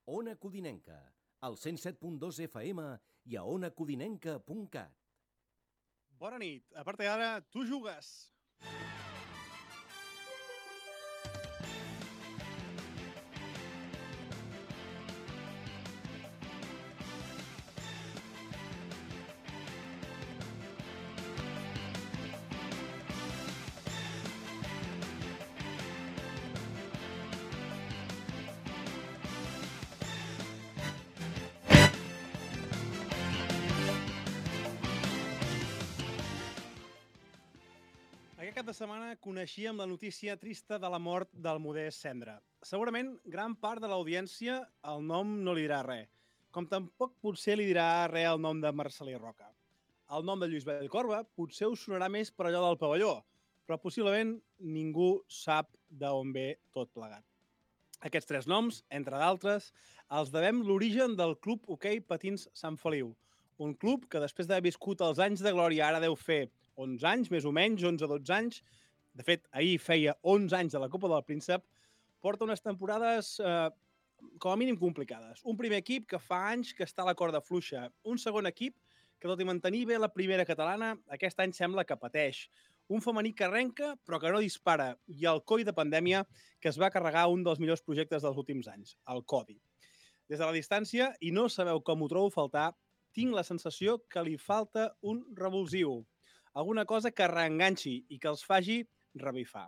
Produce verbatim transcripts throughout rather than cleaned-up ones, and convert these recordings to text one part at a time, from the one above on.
Ona Codinenca, al cent set punt dos F M i a ona codinenca punt cat. Bona nit. A partir d'ara, tu jugues. Aquest cap de setmana coneixíem la notícia trista de la mort del Modest Cendra. Segurament, gran part de l'audiència el nom no li dirà res, com tampoc potser li dirà res el nom de Marcel·lí Roca. El nom de Lluís Bellcorba potser us sonarà més per allò del pavelló, però possiblement ningú sap d'on ve tot plegat. Aquests tres noms, entre d'altres, els devem l'origen del Club Hoquei Patins Sant Feliu, un club que després d'haver viscut els anys de glòria ara deu fer onze anys, més o menys, onze o dotze anys. De fet, ahir feia onze anys de la Copa del Príncep. Porta unes temporades eh, com a mínim complicades. Un primer equip que fa anys que està a la corda fluixa. Un segon equip que, tot i mantenir bé la primera catalana, aquest any sembla que pateix. Un femení que arrenca, però que no dispara. I el coi de pandèmia que es va carregar un dels millors projectes dels últims anys, el Codi. Des de la distància, i no sabeu com ho trobo faltar, tinc la sensació que li falta un revulsiu. Alguna cosa que reenganxi i que els faci revifar.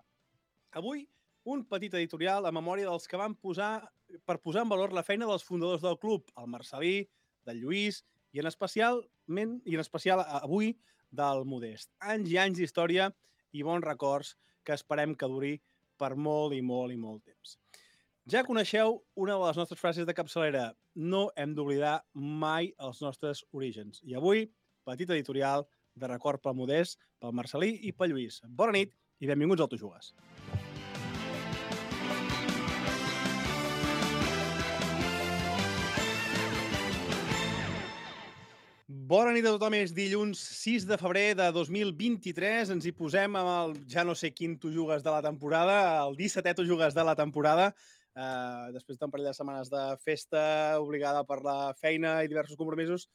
Avui, un petit editorial a memòria dels que van posar per posar en valor la feina dels fundadors del club, el Marcel·lí, del Lluís i en especialment i en especial avui del Modest. Anys i anys d'història i bons records que esperem que duri per molt i molt i molt temps. Ja coneixeu una de les nostres frases de capçalera: no hem d'oblidar mai els nostres orígens. I avui, petit editorial de record pel Modest, pel Marcel·lí i pel Lluís. Bona nit i benvinguts al Tu Jugues. Bona nit a tothom, és dilluns sis de febrer de dos mil vint-i-tres. Ens hi posem amb el ja no sé quin Tu Jugues de la temporada, el dissetè Tu Jugues de la temporada. Uh, després d'un parell de setmanes de festa obligada per la feina i diversos compromisos,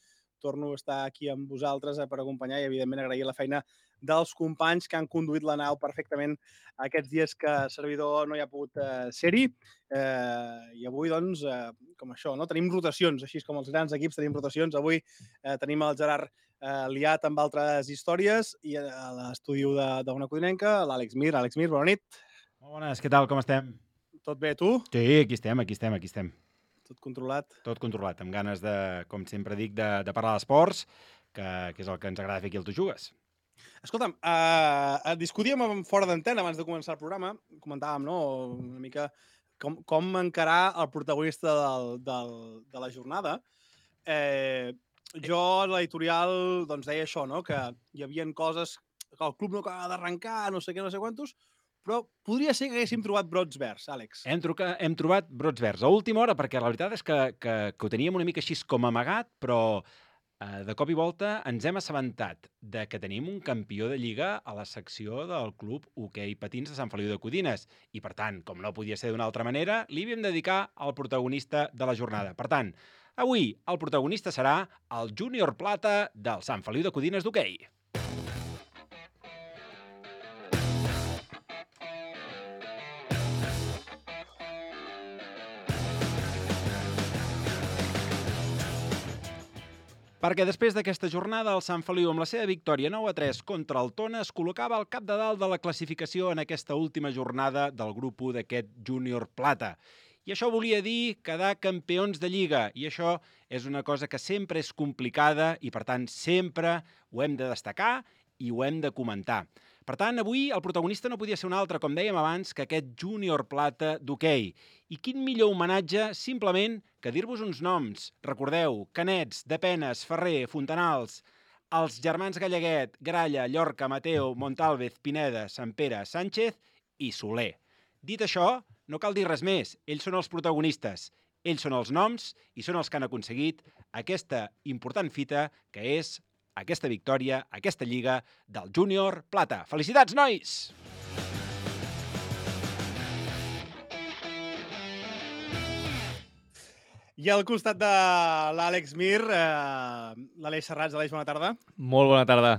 torno a estar aquí amb vosaltres per acompanyar i, evidentment, agrair la feina dels companys que han conduït la nau perfectament aquests dies que el servidor no hi ha pogut uh, ser-hi. Uh, I avui, doncs, uh, com això, no? Tenim rotacions, així com els grans equips tenim rotacions. Avui uh, tenim el Gerard uh, liat amb altres històries i a l'estudi d'Ona Codinenca, l'Àlex Mir. Àlex Mir, bona nit. Molt bones, què tal, com estem? Tot bé, tu? Sí, aquí estem, aquí estem, aquí estem. Tot controlat? Tot controlat, amb ganes de, com sempre dic, de, de parlar d'esports, que, que és el que ens agrada fer aquí al Tu Jugues. Escolta'm, uh, discutíem fora d'antena abans de començar el programa, comentàvem, no?, una mica com, com encarar el protagonista del, del, de la jornada. Eh, jo a l'editorial doncs, deia això, no?, que hi havia coses que el club no acaba d'arrencar, no sé què, no sé quantos, però podria ser que haguéssim trobat brots verds, Àlex. Hem, truca, hem trobat brots verds a última hora, perquè la veritat és que, que, que ho teníem una mica així com amagat, però eh, de cop i volta ens hem assabentat de que tenim un campió de Lliga a la secció del Club Hoquei Patins de Sant Feliu de Codines. I, per tant, com no podia ser d'una altra manera, li havíem de dedicar al protagonista de la jornada. Per tant, avui el protagonista serà el Júnior Plata del Sant Feliu de Codines d'hoquei. Perquè després d'aquesta jornada, el Sant Feliu, amb la seva victòria nou a tres contra el Tona, es col·locava al cap de dalt de la classificació en aquesta última jornada del grup u d'aquest Júnior Plata. I això volia dir quedar campions de Lliga, i això és una cosa que sempre és complicada i, per tant, sempre ho hem de destacar i ho hem de comentar. Per tant, avui el protagonista no podia ser un altre, com dèiem abans, que aquest Júnior Plata d'hoquei. I quin millor homenatge, simplement, que dir-vos uns noms. Recordeu, Canets, Depenes, Ferrer, Fontanals, els germans Galleguet, Gralla, Llorca, Mateo, Montalvez, Pineda, Sant Pere, Sánchez i Soler. Dit això, no cal dir res més. Ells són els protagonistes. Ells són els noms i són els que han aconseguit aquesta important fita que és aquesta victòria, aquesta Lliga del Júnior Plata. Felicitats, nois! I al costat de l'Àlex Mir, eh, l'Aleix Serrats. Aleix, bona tarda. Molt bona tarda.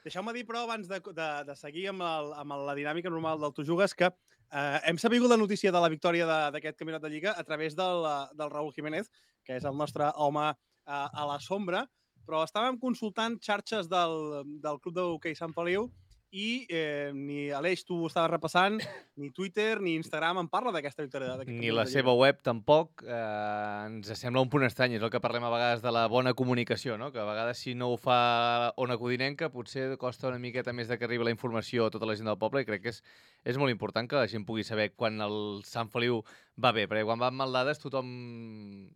Deixeu-me dir, però, abans de, de, de seguir amb, el, amb la dinàmica normal del Tu Jugues, que eh, hem sabut la notícia de la victòria d'aquest campionat de Lliga a través del, del Raúl Jiménez, que és el nostre home eh, a la sombra, però estàvem consultant xarxes del, del Club d'Hoquei Sant Feliu i eh, ni Aleix, tu ho estaves repassant, ni Twitter ni Instagram en parla d'aquesta victòria. Ni la seva web tampoc. Eh, ens sembla un punt estrany. És el que parlem a vegades de la bona comunicació, no? Que a vegades si no ho fa Ona Codinenca potser costa una miqueta més de que arribi la informació a tota la gent del poble i crec que és, és molt important que la gent pugui saber quan el Sant Feliu va bé, perquè quan van mal dades tothom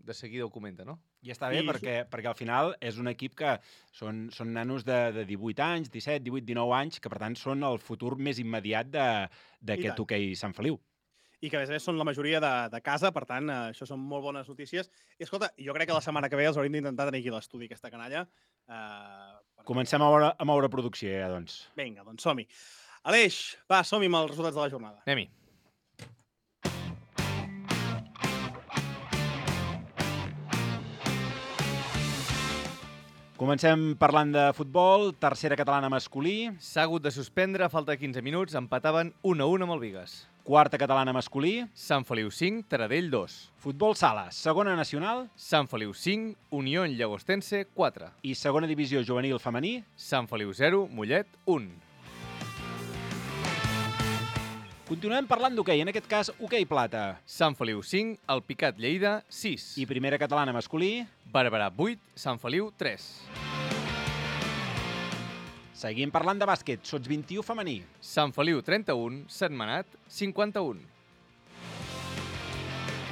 de seguida ho comenta, no? I està bé I... perquè, perquè al final és un equip que són, són nanos de, de divuit anys, disset, divuit, dinou anys, que per tant són el futur més immediat d'aquest hoquei Sant Feliu. I que a més a més són la majoria de, de casa, per tant, eh, això són molt bones notícies. I escolta, jo crec que la setmana que ve els hauríem d'intentar tenir aquí a l'estudi, aquesta canalla. Eh, perquè... Comencem a moure, a moure producció, ja, doncs. Vinga, doncs som-hi. Aleix, va, som-hi amb els resultats de la jornada. Anem-hi. Comencem parlant de futbol, tercera catalana masculí. S'ha hagut de suspendre, a falta de quinze minuts, empataven un a un amb el Bigues. Quarta catalana masculí. Sant Feliu cinc, Taradell dos. Futbol sala, segona nacional. Sant Feliu cinc, Unió Llagostense quatre. I segona divisió juvenil femení. Sant Feliu zero, Mollet un. Continuem parlant d'hoquei, en aquest cas hoquei plata. Sant Feliu cinc, el Picat Lleida sis. I primera catalana masculí. Barberà vuit, Sant Feliu tres. Seguim parlant de bàsquet, sots vint-i-u femení. Sant Feliu trenta-un, Sentmenat cinquanta-un.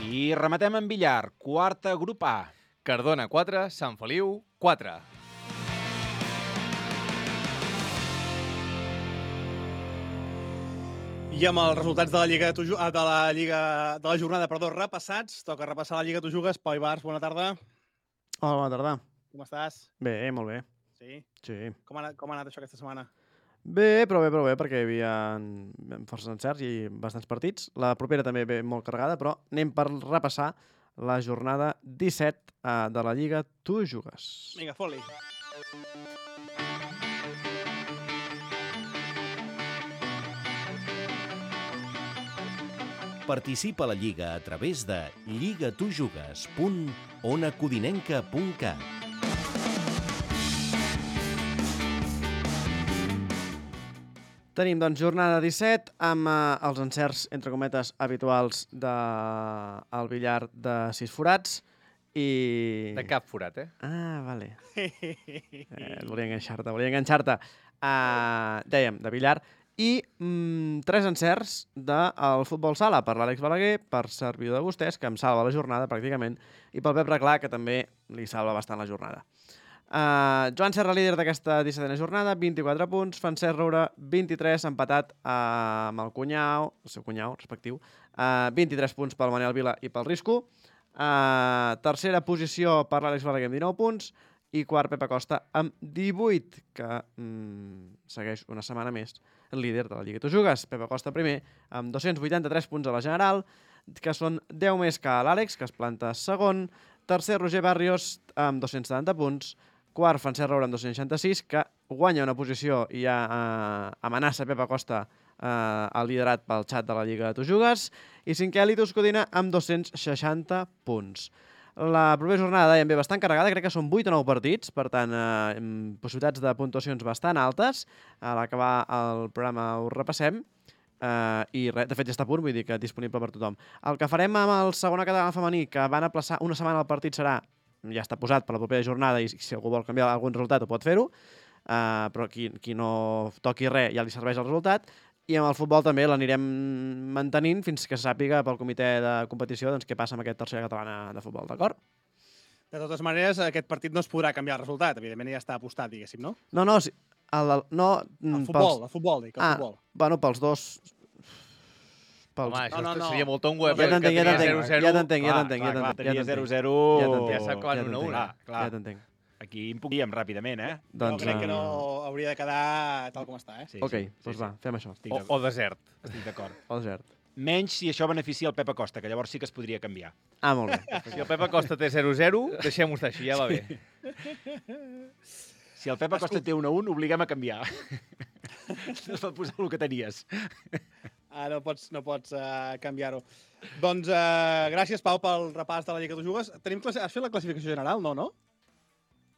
I rematem en billar, quarta grup A. Cardona quatre, Sant Feliu quatre. I amb els resultats de la Lliga de, tu, de la Lliga de la jornada, perdó, repassats, toca repassar la Lliga Tu Jugues. Pau Ibars, bona tarda. Hola, bona tarda. Com estàs? Bé, molt bé. Sí? Sí. Com ha anat, com ha anat això aquesta setmana? Bé, però bé, però bé, perquè hi havia forces encerts i bastants partits. La propera també ve molt carregada, però anem per repassar la jornada disset uh, de la Lliga Tu Jugues. Vinga, fot-li. Participa a la Lliga a través de lligatujugues punt ona codinenca punt cat. Tenim, doncs, jornada disset amb eh, els encerts, entre cometes, habituals del billar de sis forats i... De cap forat, eh? Ah, vale. eh, volia enganxar-te, volia enganxar-te. Uh, dèiem, de billar. I mm, tres encerts del futbol sala per l'Àlex Balaguer, per servidor de vostès, que em salva la jornada pràcticament, i pel Pep Reclà, que també li salva bastant la jornada. Uh, Joan Serra, líder d'aquesta dissetena jornada, vint-i-quatre punts, Francesc Roura, vint-i-tres, empatat uh, amb el cunyau, el seu cunyau respectiu, uh, vint-i-tres punts pel Manel Vila i pel Risco, uh, tercera posició per l'Àlex Balaguer amb dinou punts, i quart Pep Acosta amb divuit, que mm, segueix una setmana més el líder de la Lliga Tu Jugues. Pep Acosta primer, amb dos-cents vuitanta-tres punts a la general, que són deu més que l'Àlex, que es planta segon. Tercer, Roger Barrios, amb dos-cents setanta punts. Quart, Francesc Roura, amb dos-cents seixanta-sis, que guanya una posició i ja eh, amenaça Pep Acosta eh, el liderat pel xat de la Lliga Tu Jugues. I cinquè, Litus Codina, amb dos-cents seixanta punts. La propera jornada, dèiem, ve bastant carregada, crec que són vuit o nou partits, per tant, eh, possibilitats de puntuacions bastant altes. A l'acabar el programa ho repassem, eh, i res, de fet ja està a punt, vull dir que disponible per tothom. El que farem amb el segona catalana femení, que van aplaçar una setmana el partit, serà, ja està posat per la propera jornada, i si algú vol canviar algun resultat ho pot fer-ho, eh, però qui, qui no toqui res ja li serveix el resultat. I amb el futbol també l'anirem mantenint fins que se sàpiga pel comitè de competició doncs, què passa amb aquest tercera catalana de futbol, d'acord? De totes maneres, aquest partit no es podrà canviar el resultat. Evidentment ja està apostat, diguéssim, no? No, no, sí, el, el, no el futbol, pels... el futbol, dic, el ah, futbol. Bueno, pels dos... Pels... Home, això no, no, no. seria molt tongo, eh? Ja t'entenc, ja t'entenc, ja t'entenc, ja t'entenc, ja t'entenc. Tenia zero zero... Ja s'ha acabat un a un. Ja t'entenc. Aquí impugíem ràpidament, eh? Doncs, no, crec que no hauria de quedar tal com està, eh? Sí, ok, sí, doncs sí, va, fem això. O, o desert. Estic d'acord. O desert. menys si això beneficia el Pep Acosta, que llavors sí que es podria canviar. Ah, molt bé. Si el Pep Acosta té zero zero, deixem-ho estar així, ja va bé. Si el Pep Acosta té un a un, obliguem a canviar. No es pot posar el que tenies. Ah, no pots, no pots uh, canviar-ho. Doncs uh, gràcies, Pau, pel repàs de la Lliga que tu jugues. Tenim classi... Has fet la classificació general, no, no?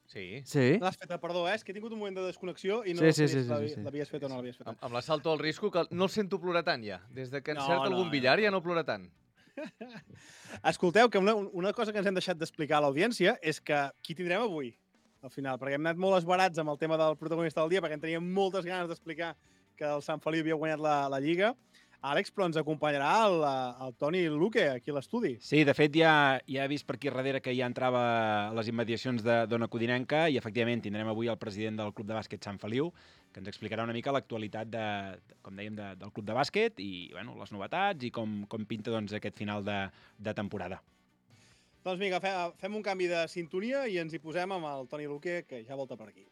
Sí. Sí. L'has feta, perdó, eh? És que he tingut un moment de desconnexió i no Sí, sé sí, sí, si sí, sí, sí. l'havies fet o no l'havies fet. Amb, amb l'assalto al risco, que no el sento plorar tant, ja. Des de que No, encerta no, algun no. billar ja no plora tant. Escolteu, que una, una cosa que ens hem deixat d'explicar a l'audiència és que qui tindrem avui, al final, perquè hem anat molt esbarats amb el tema del protagonista del dia, perquè en teníem moltes ganes d'explicar que el Sant Feliu havia guanyat la, la Lliga. Àlex, però ens acompanyarà el, el Toni Luque, aquí a l'estudi. Sí, de fet, ja, ja he vist per aquí darrere que ja entrava a les immediacions de d'Ona Codinenca i, efectivament, tindrem avui el president del Club de Bàsquet Sant Feliu, que ens explicarà una mica l'actualitat, de, com dèiem, de, del Club de Bàsquet i bueno, les novetats i com, com pinta doncs, aquest final de, de temporada. Doncs vinga, fe, fem un canvi de sintonia i ens hi posem amb el Toni Luque, que ja volta per aquí.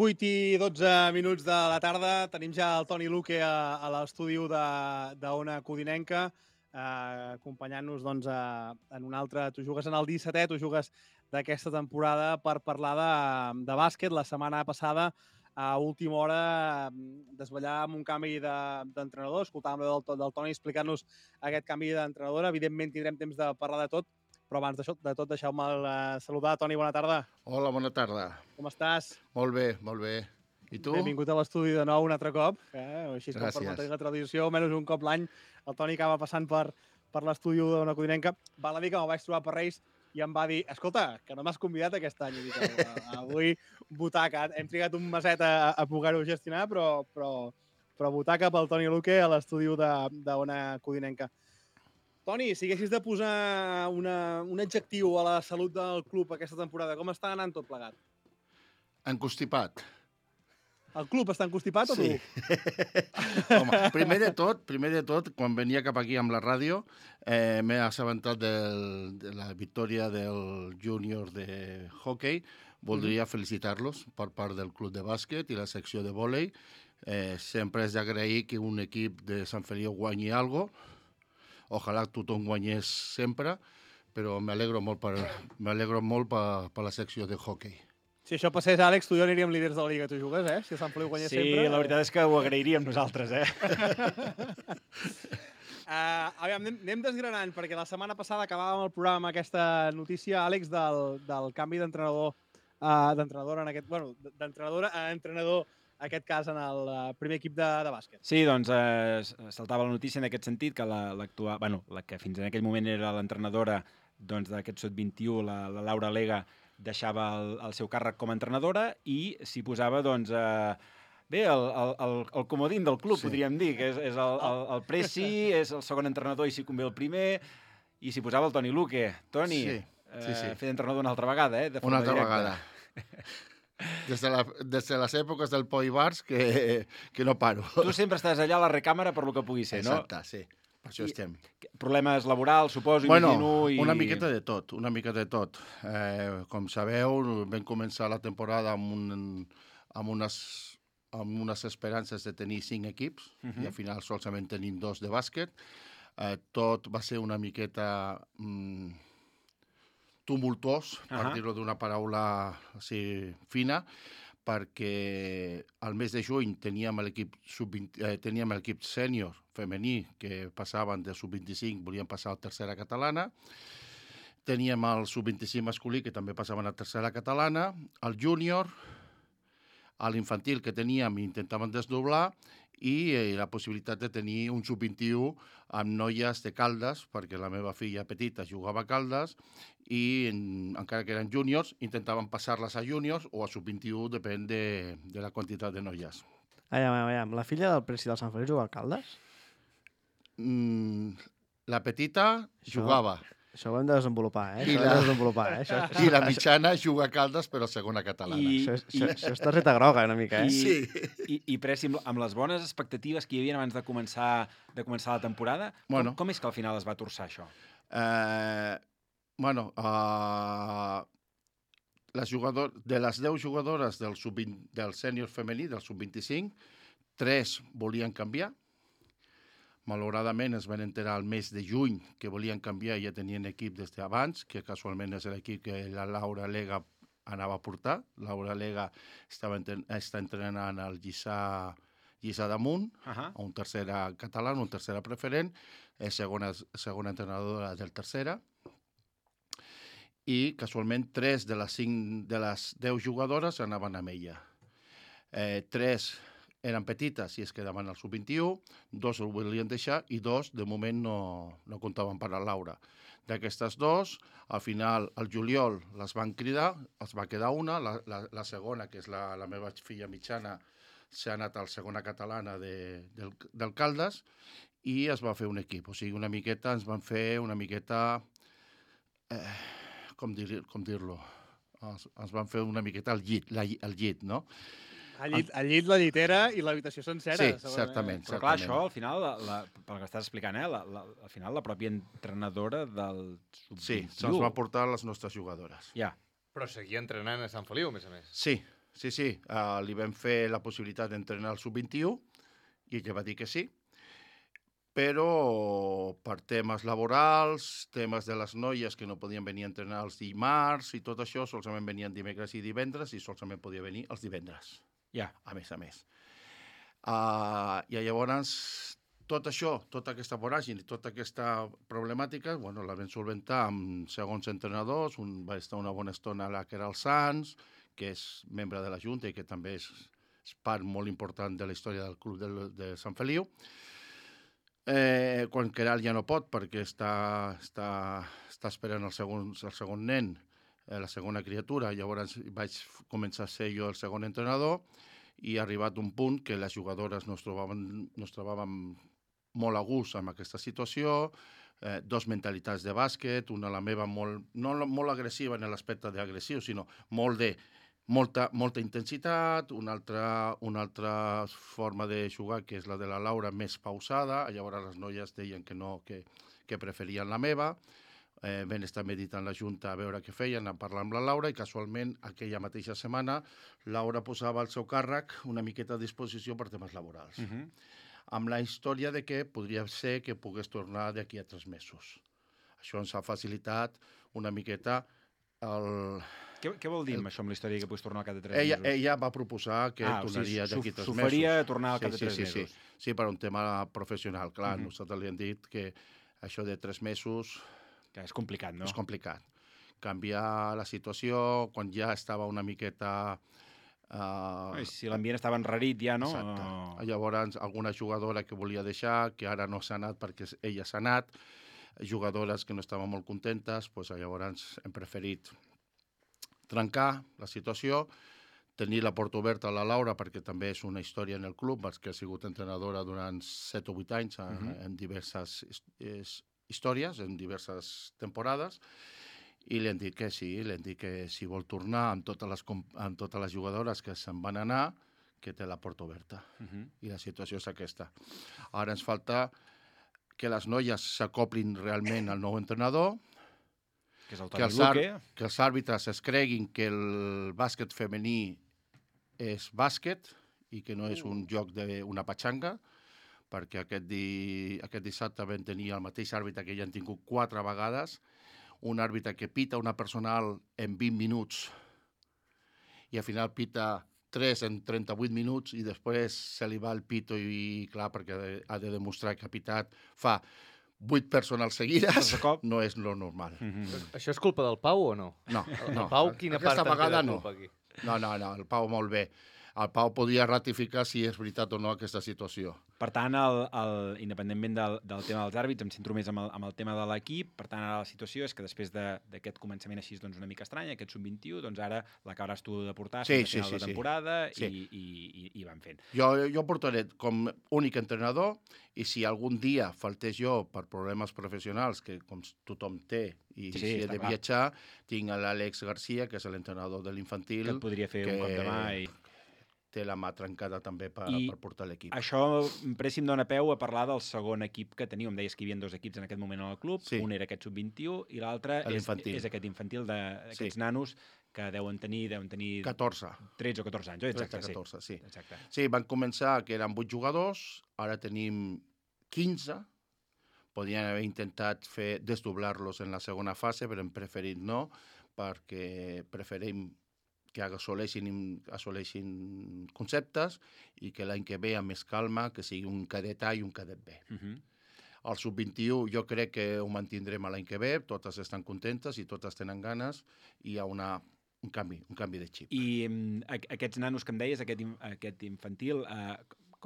vuit i dotze minuts de la tarda. Tenim ja el Toni Luque a, a l'estudi d'Ona Codinenca, eh, acompanyant-nos doncs, a, en un altre... Tu jugues en el dissetè, tu jugues d'aquesta temporada per parlar de, de bàsquet. La setmana passada, a última hora, desvetllàvem un canvi d'entrenador. De, escoltàvem del, del Toni explicant-nos aquest canvi d'entrenadora. Evidentment tindrem temps de parlar de tot, però abans d'això, de tot, deixeu-me uh, saludar. Toni, bona tarda. Hola, bona tarda. Com estàs? Molt bé, molt bé. I tu? Benvingut a l'estudi de nou un altre cop. Eh? Així com Gràcies. per mantenir la tradició, almenys un cop l'any, el Toni acaba passant per, per l'estudi d'Ona Codinenca. Val a dir que me'l vaig trobar per Reis i em va dir, escolta, que no m'has convidat aquest any. I dic, avui butaca. Hem trigat un meset a, a poder-ho gestionar, però, però, però butaca pel Toni Luque a l'estudi d'Ona Codinenca. Toni, si haguessis de posar una, un adjectiu a la salut del club aquesta temporada, com està anant tot plegat? Encostipat. El club està encostipat o tu? Sí. Home, primer de tot, primer de tot, quan venia cap aquí amb la ràdio, eh, m'he assabentat del, de la victòria del júnior de hockey. Voldria mm-hmm. felicitar-los per part del club de bàsquet i la secció de vòlei. Eh, sempre és d'agrair que un equip de Sant Feliu guanyi alguna cosa. Ojalà tothom guanyés sempre, però m'alegro molt per, m'alegro molt per, per la secció de hockey. Si això passés, Àlex, tu i jo aniríem líders de la Lliga, tu jugues, eh? Si el Sant Feliu guanyés sí, sempre... Sí, la veritat és que ho agrairíem nosaltres, eh? uh, aviam, anem, anem desgranant, perquè la setmana passada acabàvem el programa amb aquesta notícia, Àlex, del, del canvi d'entrenador, uh, d'entrenadora en aquest... Bueno, d'entrenadora a entrenador, en aquest cas, en el uh, primer equip de, de bàsquet. Sí, doncs eh, saltava la notícia en aquest sentit, que la, l'actual, bueno, la que fins en aquell moment era l'entrenadora doncs, d'aquest sot vint-i-u, la, la Laura Lega, deixava el, el seu càrrec com a entrenadora i s'hi posava, doncs, eh, bé, el, el, el, el comodín del club, sí. podríem dir, que és, és el, el, el Presi, és el segon entrenador i si convé el primer, i s'hi posava el Toni Luque. Toni, sí, sí, sí. Eh, fer d'entrenador una altra vegada, eh? De una altra directa. vegada. Des de, la, des de les èpoques del Poi Bars que, que no paro. Tu sempre estàs allà a la recàmera per lo que pugui ser, no? Exacte, sí. Per això I, estem. Problemes laborals, suposo, bueno, imagino... I... una miqueta de tot, una mica de tot. Eh, com sabeu, vam començar la temporada amb, un, amb, unes, amb unes esperances de tenir cinc equips uh-huh. i al final solament tenim dos de bàsquet. Eh, tot va ser una miqueta... Mm, tumultuós, per uh-huh. dir-ho d'una paraula així fina, perquè al mes de juny teníem l'equip eh, teníem l'equip sènior femení que passaven de sub vint-i-cinc, volien passar a tercera catalana, teníem el sub vint-i-cinc masculí que també passaven a tercera catalana, el júnior, a l'infantil que teníem intentaven desdoblar i eh, la possibilitat de tenir un sub vint-i-u amb noies de Caldes, perquè la meva filla petita jugava a Caldes i en, encara que eren júniors, intentaven passar-les a júniors o a sub vint-i-u, depèn de, de la quantitat de noies. Aviam, aviam, aviam. La filla del presi del Sant Feliu juga a Caldes? Mm, la petita Això- jugava Això ho hem de desenvolupar, eh? I Això ho la- hem de desenvolupar, eh? Això, això, i la mitjana juga a Caldes, però segona catalana. I- això, això, això és targeta groga, una mica, eh? I, Sí. i, i Preci, amb, amb les bones expectatives que hi havia abans de començar de començar la temporada, Bueno. com, com és que al final es va torçar això? Eh, bueno, uh, les jugador, de les deu jugadores del, sub vint, del sènior femení, del sub vint-i-cinc, tres volien canviar. Malauradament es van enterar al mes de juny que volien canviar i ja tenien equip des d'abans, que casualment és l'equip que la Laura Lega anava a portar. Laura Lega estava entren està entrenant al Lliçà, Lliçà d'Amunt, Uh -huh. a un tercera català, un tercera preferent, és segona, segona entrenadora del tercera, i casualment tres de les, cinc, de les deu jugadores anaven amb ella. Eh, tres eren petites i es quedaven al sub vint-i-u, dos ho volien deixar i dos, de moment, no, no comptaven per la Laura. D'aquestes dos, al final, al juliol les van cridar, es va quedar una, la, la, la segona, que és la, la meva filla mitjana, s'ha anat a la segona catalana de, del, del Caldes i es va fer un equip. O sigui, una miqueta, ens van fer una miqueta... Eh, com dir, com dir-lo? Es, es van fer una miqueta al llit, la, al llit, no? Al llit, al llit, la llitera i l'habitació sencera. Sí, segurament. certament. Però clar, això al final, la, la, pel que estàs explicant, eh, la, la, al final la pròpia entrenadora del sub Sí, vint-i-u... se'ns va portar les nostres jugadores. Ja. Però seguia entrenant a Sant Feliu, a més a més. Sí, sí, sí. Uh, li vam fer la possibilitat d'entrenar al sub vint-i-u i ella va dir que sí, però per temes laborals, temes de les noies que no podien venir a entrenar els dimarts i tot això, solament venien dimecres i divendres i solament podia venir els divendres. Ja. A més a més. Uh, I llavors, tot això, tota aquesta voràgine, tota aquesta problemàtica, bueno, la vam solventar amb segons entrenadors, un va estar una bona estona la que era el Sants, que és membre de la Junta i que també és, és part molt important de la història del club de, de Sant Feliu. Eh, quan Queralt ja no pot perquè està, està, està esperant el segon, el segon nen, eh, la segona criatura, llavors vaig començar a ser jo el segon entrenador i ha arribat un punt que les jugadores no es trobaven, no es trobaven molt a gust amb aquesta situació, eh, dos mentalitats de bàsquet, una la meva molt, no molt agressiva en l'aspecte d'agressiu, sinó molt de molta, molta intensitat, una altra, una altra forma de jugar, que és la de la Laura, més pausada. Llavors les noies deien que no, que, que preferien la meva. Eh, vam estar meditant la Junta a veure què feien, a parlar amb la Laura, i casualment aquella mateixa setmana Laura posava al seu càrrec una miqueta a disposició per temes laborals. Uh -huh. Amb la història de que podria ser que pogués tornar d'aquí a tres mesos. Això ens ha facilitat una miqueta el... Què, què vol dir amb això, amb la història que puguis tornar al cap de tres Ella, mesos? ella va proposar que Ah, o tornaria sigui, d'aquí tres mesos. s'oferia tornar al cap de sí, tres sí, mesos. Sí, sí, per un tema professional. Clar, Uh -huh. nosaltres li hem dit que això de tres mesos Que és complicat, no? és complicat. Canviar la situació quan ja estava una miqueta... Uh, Ai, si l'ambient estava enrarit ja, no? Exacte. Oh. Llavors, alguna jugadora que volia deixar, que ara no s'ha anat perquè ella s'ha anat, jugadores que no estaven molt contentes, doncs llavors hem preferit trencar la situació, tenir la porta oberta a la Laura, perquè també és una història en el club, perquè ha sigut entrenadora durant set o vuit anys en, uh -huh. en diverses his històries, en diverses temporades, i li han dit que sí, li han dit que si vol tornar amb totes les, amb totes les jugadores que se'n van anar, que té la porta oberta. Uh -huh. I la situació és aquesta. Ara ens falta que les noies s'acoplin realment al nou entrenador, Que és el que Toni els, ar Luque. que els àrbitres es creguin que el bàsquet femení és bàsquet i que no és un joc d'una patxanga, perquè aquest, di aquest dissabte vam tenir el mateix àrbitre que ja han tingut quatre vegades, un àrbitre que pita una personal en vint minuts i al final pita tres en trenta-vuit minuts i després se li va el pito i, clar, perquè ha de demostrar que ha pitat fa vuit personals seguides, De cop. no és lo normal. Uh -huh. Això és culpa del Pau o no? No, El no. Pau, quina Aquesta part en té de vegada no. culpa aquí? No, no, no, el Pau molt bé. el Pau podria ratificar si és veritat o no aquesta situació. Per tant, el, el, independentment del, del tema dels àrbits, em centro més amb el, amb el tema de l'equip. Per tant, ara la situació és que després d'aquest començament així doncs, una mica estrany, aquest sub vint-i-u, doncs ara l'acabaràs tu de portar sí, fins sí, a final sí, de temporada sí. i, i, i, i van fent. Jo, jo portaré com únic entrenador i si algun dia faltés jo per problemes professionals, que com tothom té, i Sí, si he de clar. viatjar, tinc l'Àlex Garcia, que és l'entrenador de l'infantil. Que et podria fer un cop de mà i... té la mà trencada també per, I per portar l'equip. Això, Preci, em dóna peu a parlar del segon equip que teniu. Em deies que hi havia dos equips en aquest moment al club. Sí. Un era aquest sub vint-i-u i l'altre és, L'infantil. és aquest infantil d'aquests Sí. nanos que deuen tenir, deuen tenir catorze. tretze o catorze anys. Oh, exacte, tretze, catorze, sí. sí. Exacte. Sí, van començar que eren vuit jugadors, ara tenim quinze. Podrien haver intentat fer desdoblar-los en la segona fase, però hem preferit no, perquè preferim que assoleixin, assoleixin conceptes i que l'any que ve, amb més calma, que sigui un cadet A i un cadet B. Uh -huh. El sub vint-i-u jo crec que ho mantindrem l'any que ve, totes estan contentes i totes tenen ganes i hi ha una, un canvi, un canvi de xip. I um, aquests nanos que em deies, aquest, aquest infantil, uh,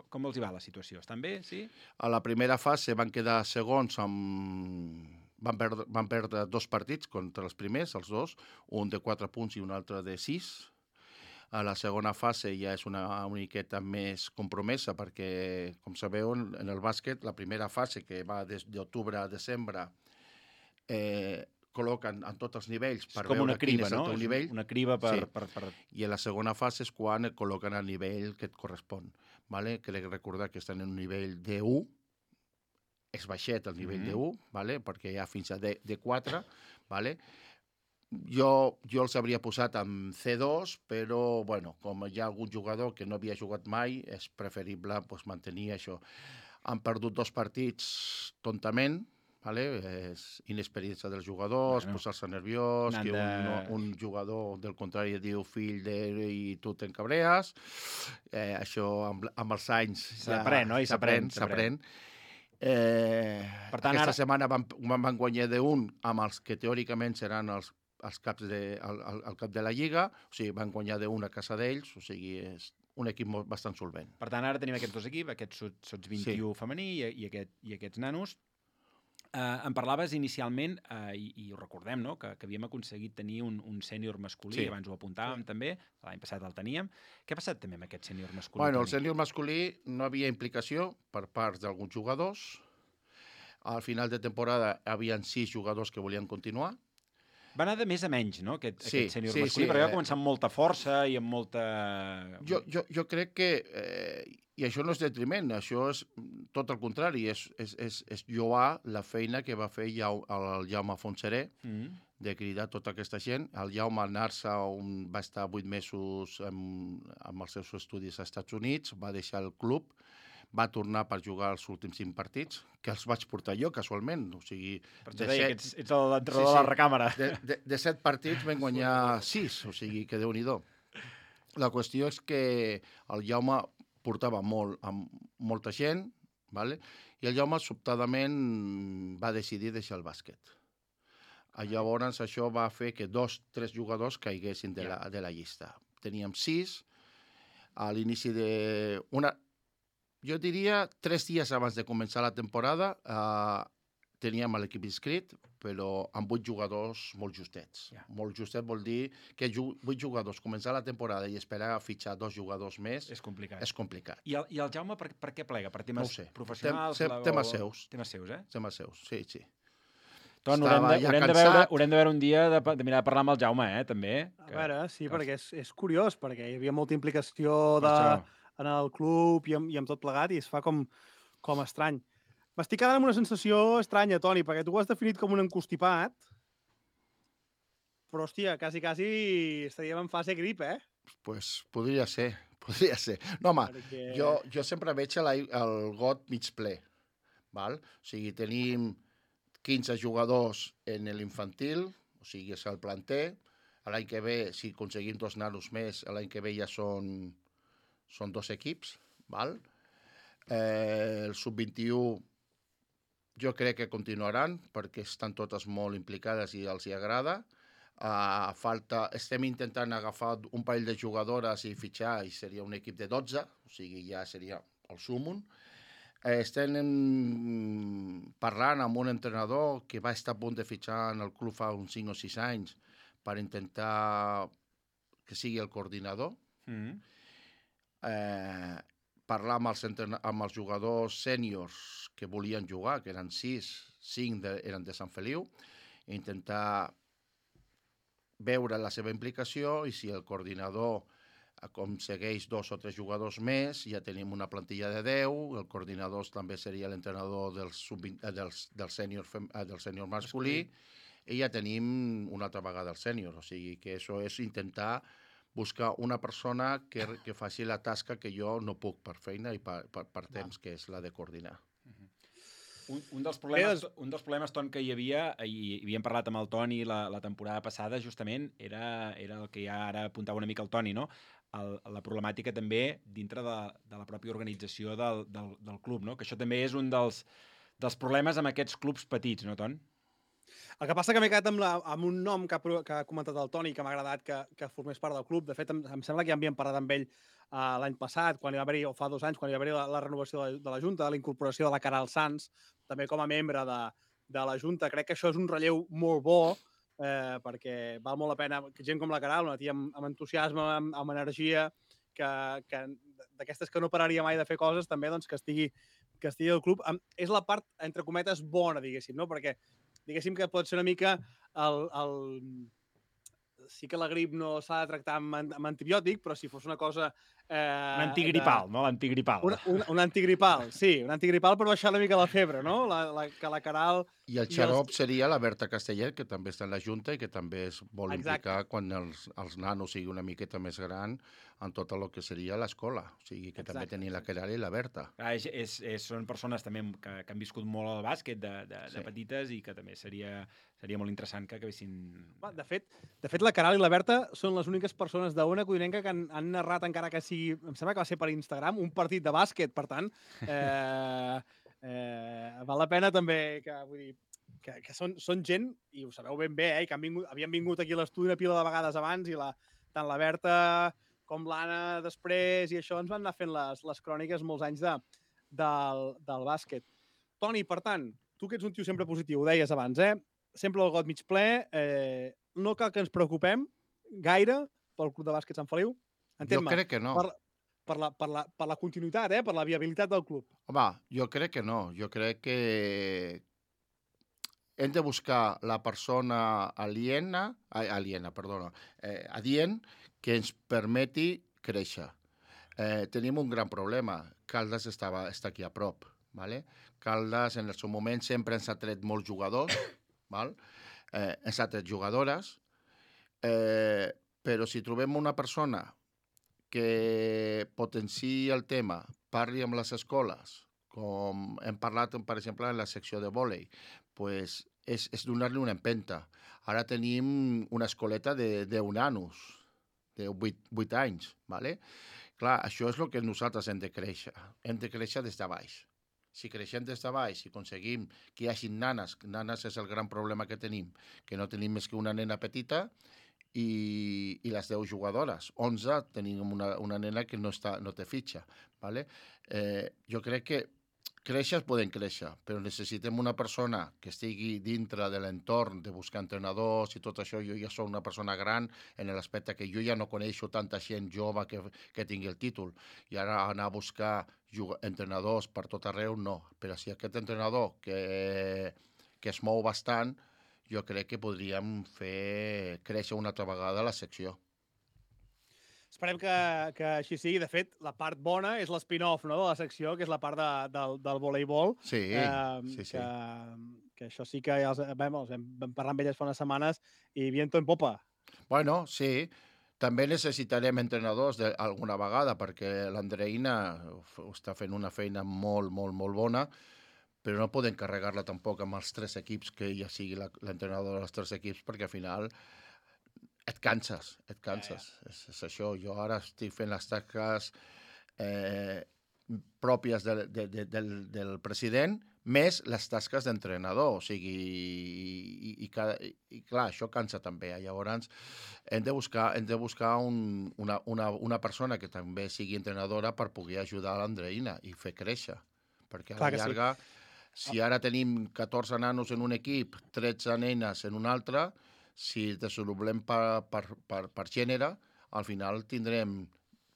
com els hi va la situació? Estan bé, sí? A la primera fase van quedar segons amb... Van perdre, van perdre dos partits contra els primers, els dos, un de quatre punts i un altre de sis. A la segona fase ja és una miqueta més compromesa perquè, com sabeu, en el bàsquet, la primera fase, que va des d'octubre a desembre, eh, col·loquen en tots els nivells per com veure una criba, quin és el no? teu És nivell. una criba per, Sí. per, per... I a la segona fase és quan et col·loquen al nivell que et correspon. Vale? Crec recordar que estan en un nivell D u, és baixet el nivell Mhm. D u, vale? Perquè hi ha fins a D, D4, vale? Jo, jo els hauria posat en C dos, però bueno, com hi ha algun jugador que no havia jugat mai, és preferible pues, mantenir això. Han perdut dos partits tontament, vale? És inexperiència dels jugadors, Bueno. posar-se nerviós, N'han que de- un, un jugador del contrari diu fill de... i tu t'encabrees. Eh, això amb, amb els anys S'aprèn, no? I s'aprèn, s'aprèn. Eh, Per tant, aquesta ara- setmana van, van, van guanyar d'un amb els que teòricament seran els, els caps de, el, el, el cap de la Lliga, o sigui, van guanyar d'un a casa d'ells, o sigui, és un equip molt, bastant solvent. Per tant, ara tenim aquests dos equips, aquest Sots, Sots vint-i-u sí. femení i, i, aquest, i aquests nanos. Uh, em parlaves inicialment, uh, i, i ho recordem, no? que, que havíem aconseguit tenir un, un sènior masculí, Sí. abans ho apuntàvem sí. també, l'any passat el teníem. Què ha passat també amb aquest sènior masculí? Bueno, el Toni? sènior masculí no havia implicació per part d'alguns jugadors. Al final de temporada hi havia sis jugadors que volien continuar. Va anar de més a menys, no?, aquest, Sí, aquest sènior sí, masculí, sí, perquè va eh, començar amb molta força i amb molta... Jo, jo, jo crec que, eh, i això no és detriment, això és tot el contrari, és, és, és, és lloar la feina que va fer Jau, el Jaume Fontseré, Mm. de cridar tota aquesta gent. El Jaume anar-se on va estar vuit mesos amb, amb els seus estudis als Estats Units, va deixar el club, va tornar per jugar els últims cinc partits, que els vaig portar jo, casualment. O sigui, Per de això deia set- que ets, ets l'entrenador Sí, de la sí. recàmera. de, de, de set partits vam guanyar sis, o sigui que Déu-n'hi-do. La qüestió és que el Jaume portava molt, amb molta gent, vale? I el Jaume sobtadament va decidir deixar el bàsquet. Ah, Llavors això va fer que dos, tres jugadors caiguessin de, la, de la llista. Teníem sis, a l'inici de... Una, jo diria tres dies abans de començar la temporada eh, teníem l'equip inscrit, però amb vuit jugadors molt justets. Ja. Molt justet vol dir que ju vuit jugadors començar la temporada i esperar a fitxar dos jugadors més És complicat. és complicat. I el, I el Jaume per, per què plega? Per No temes ho sé. professionals? Tem- la- temes o- seus. Temes seus, eh? Temes seus, sí, sí. Ton, haurem de, Estava ja haurem, de cansat. veure, haurem de veure un dia de, pa- de mirar de parlar amb el Jaume, eh, també. A veure, sí, que- perquè és, és curiós, perquè hi havia molta implicació Per de, això. en el club i amb, i amb tot plegat, i es fa com, com estrany. M'estic quedant amb una sensació estranya, Toni, perquè tu ho has definit com un encostipat, però, hòstia, quasi, quasi estaríem en fase grip, eh? Pues podria ser, podria ser. No, home, Perquè... jo, jo sempre veig el, el got mig ple. Val? O sigui, tenim quinze jugadors en l'infantil, o sigui, és el planter. L'any que ve, si aconseguim dos nanos més, l'any que ve ja són, són dos equips. Val? Eh, el sub vint-i-u jo crec que continuaran, perquè estan totes molt implicades i els hi agrada. Uh, falta, estem intentant agafar un parell de jugadores i fitxar, i seria un equip de dotze, o sigui, ja seria el súmum. Eh, estem en, parlant amb un entrenador que va estar a punt de fitxar en el club fa uns cinc o sis anys per intentar que sigui el coordinador. Mm. Eh, parlar amb els, amb els jugadors sèniors que volien jugar, que eren sis, cinc de, eren de Sant Feliu, i intentar veure la seva implicació, i si el coordinador aconsegueix dos o tres jugadors més, ja tenim una plantilla de deu, el coordinador també seria l'entrenador del, del, del sènior del sènior masculí, i ja tenim una altra vegada el sènior. O sigui que això és intentar buscar una persona que, que faci la tasca que jo no puc per feina i per, per, per temps, que és la de coordinar. Un, un, dels problemes, un dels problemes, Ton, que hi havia, i havíem parlat amb el Toni la, la temporada passada, justament, era, era el que ja ara apuntava una mica el Toni, no? El, la problemàtica també dintre de, de la pròpia organització del, del, del club, no? Que això també és un dels, dels problemes amb aquests clubs petits, no, Ton? El que passa que m'he quedat amb, la, amb un nom que ha, que ha comentat el Toni, que m'ha agradat que, que formés part del club. De fet, em, em sembla que ja havíem parlat amb ell uh, l'any passat, quan hi va haver-hi, o fa dos anys, quan hi va haver-hi la, la renovació de, de la Junta, de la incorporació de la Caral Sans, també com a membre de, de la Junta. Crec que això és un relleu molt bo, eh, perquè val molt la pena que gent com la Caral, una tia amb, amb entusiasme, amb, amb energia, que, que d'aquestes que no pararia mai de fer coses, també doncs, que estigui que estigui al club. És la part, entre cometes, bona, diguéssim, no? Perquè diguéssim que pot ser una mica el, el... sí que la grip no s'ha de tractar amb, amb antibiòtic, però si fos una cosa... Eh, un antigripal, de... no? L'antigripal. Un, un, un antigripal, sí. Un antigripal per baixar una mica la febre, no? La, la, que la Caral... I el xarop i els... seria la Berta Castellet, que també està en la Junta i que també es vol Exacte. implicar quan els, els nanos siguin una miqueta més gran en tot el que seria l'escola. O sigui, que Exacte. també tenia la Caral i la Berta. Ah, és, és, és, són persones també que, que han viscut molt al bàsquet de, de, sí. de petites i que també seria, seria molt interessant que acabessin... De fet, de fet, la Caral i la Berta són les úniques persones d'Ona Codinenca que han, han narrat, encara que sigui... Em sembla que va ser per Instagram, un partit de bàsquet. Per tant, eh, eh, val la pena també que, vull dir, que, que són, són gent, i ho sabeu ben bé, eh, que han vingut, havien vingut aquí a l'estudi una pila de vegades abans, i la, tant la Berta com l'Anna després, i això ens van anar fent les, les cròniques molts anys de, del, del bàsquet. Toni, per tant, tu que ets un tio sempre positiu, ho deies abans, eh? Sempre el got mig ple, eh, no cal que ens preocupem gaire pel Club de Bàsquet Sant Feliu. Jo crec que no. Per, per, la, per, la, per la continuïtat, eh? Per la viabilitat del club. Home, jo crec que no. Jo crec que hem de buscar la persona aliena, aliena, perdona, eh, adient, que ens permeti créixer. Eh, tenim un gran problema. Caldes estava, està aquí a prop. ¿vale? Caldes, en el seu moment, sempre ens ha tret molts jugadors, val? Eh, ens ha tret jugadores, eh, però si trobem una persona que potenciï el tema, parli amb les escoles, com hem parlat, per exemple, en la secció de vòlei, pues és, és donar-li una empenta. Ara tenim una escoleta de deu nanos, de vuit anys, ¿vale? Clar, això és el que nosaltres hem de créixer. Hem de créixer des de baix. Si creixem des de baix, si aconseguim que hi hagi nanes, nanes és el gran problema que tenim, que no tenim més que una nena petita i, i les deu jugadores. onze tenim una, una nena que no, està, no té fitxa. ¿vale? Eh, jo crec que créixer poden créixer, però necessitem una persona que estigui dintre de l'entorn de buscar entrenadors i tot això. Jo ja soc una persona gran en l'aspecte que jo ja no coneixo tanta gent jove que, que tingui el títol. I ara anar a buscar entrenadors per tot arreu, no. Però si aquest entrenador que, que es mou bastant, jo crec que podríem fer créixer una altra vegada la secció. Esperem que, que així sigui. De fet, la part bona és l'spin-off, no?, de la secció, que és la part de, del, del voleibol. Sí, eh, sí, sí. Que, que això sí que ja els, vam, els vam parlar amb elles fa unes setmanes i viento en popa. Bueno, sí. També necessitarem entrenadors de, alguna vegada, perquè l'Andreina està fent una feina molt, molt, molt bona, però no podem carregar-la tampoc amb els tres equips, que ella sigui l'entrenador dels tres equips, perquè al final et canses, et canses. Ja, ja. És, és això. Jo ara estic fent les tasques eh, pròpies de, de, de, del, del president, més les tasques d'entrenador. O sigui, i, i, i, i clar, això cansa també. Llavors, hem de buscar, hem de buscar un, una, una, una persona que també sigui entrenadora per poder ajudar a l'Andreina i fer créixer. Perquè a la llarga, sí. Si ara tenim catorze nanos en un equip, tretze nenes en un altre, si desenvolupem per, per, per, per gènere, al final tindrem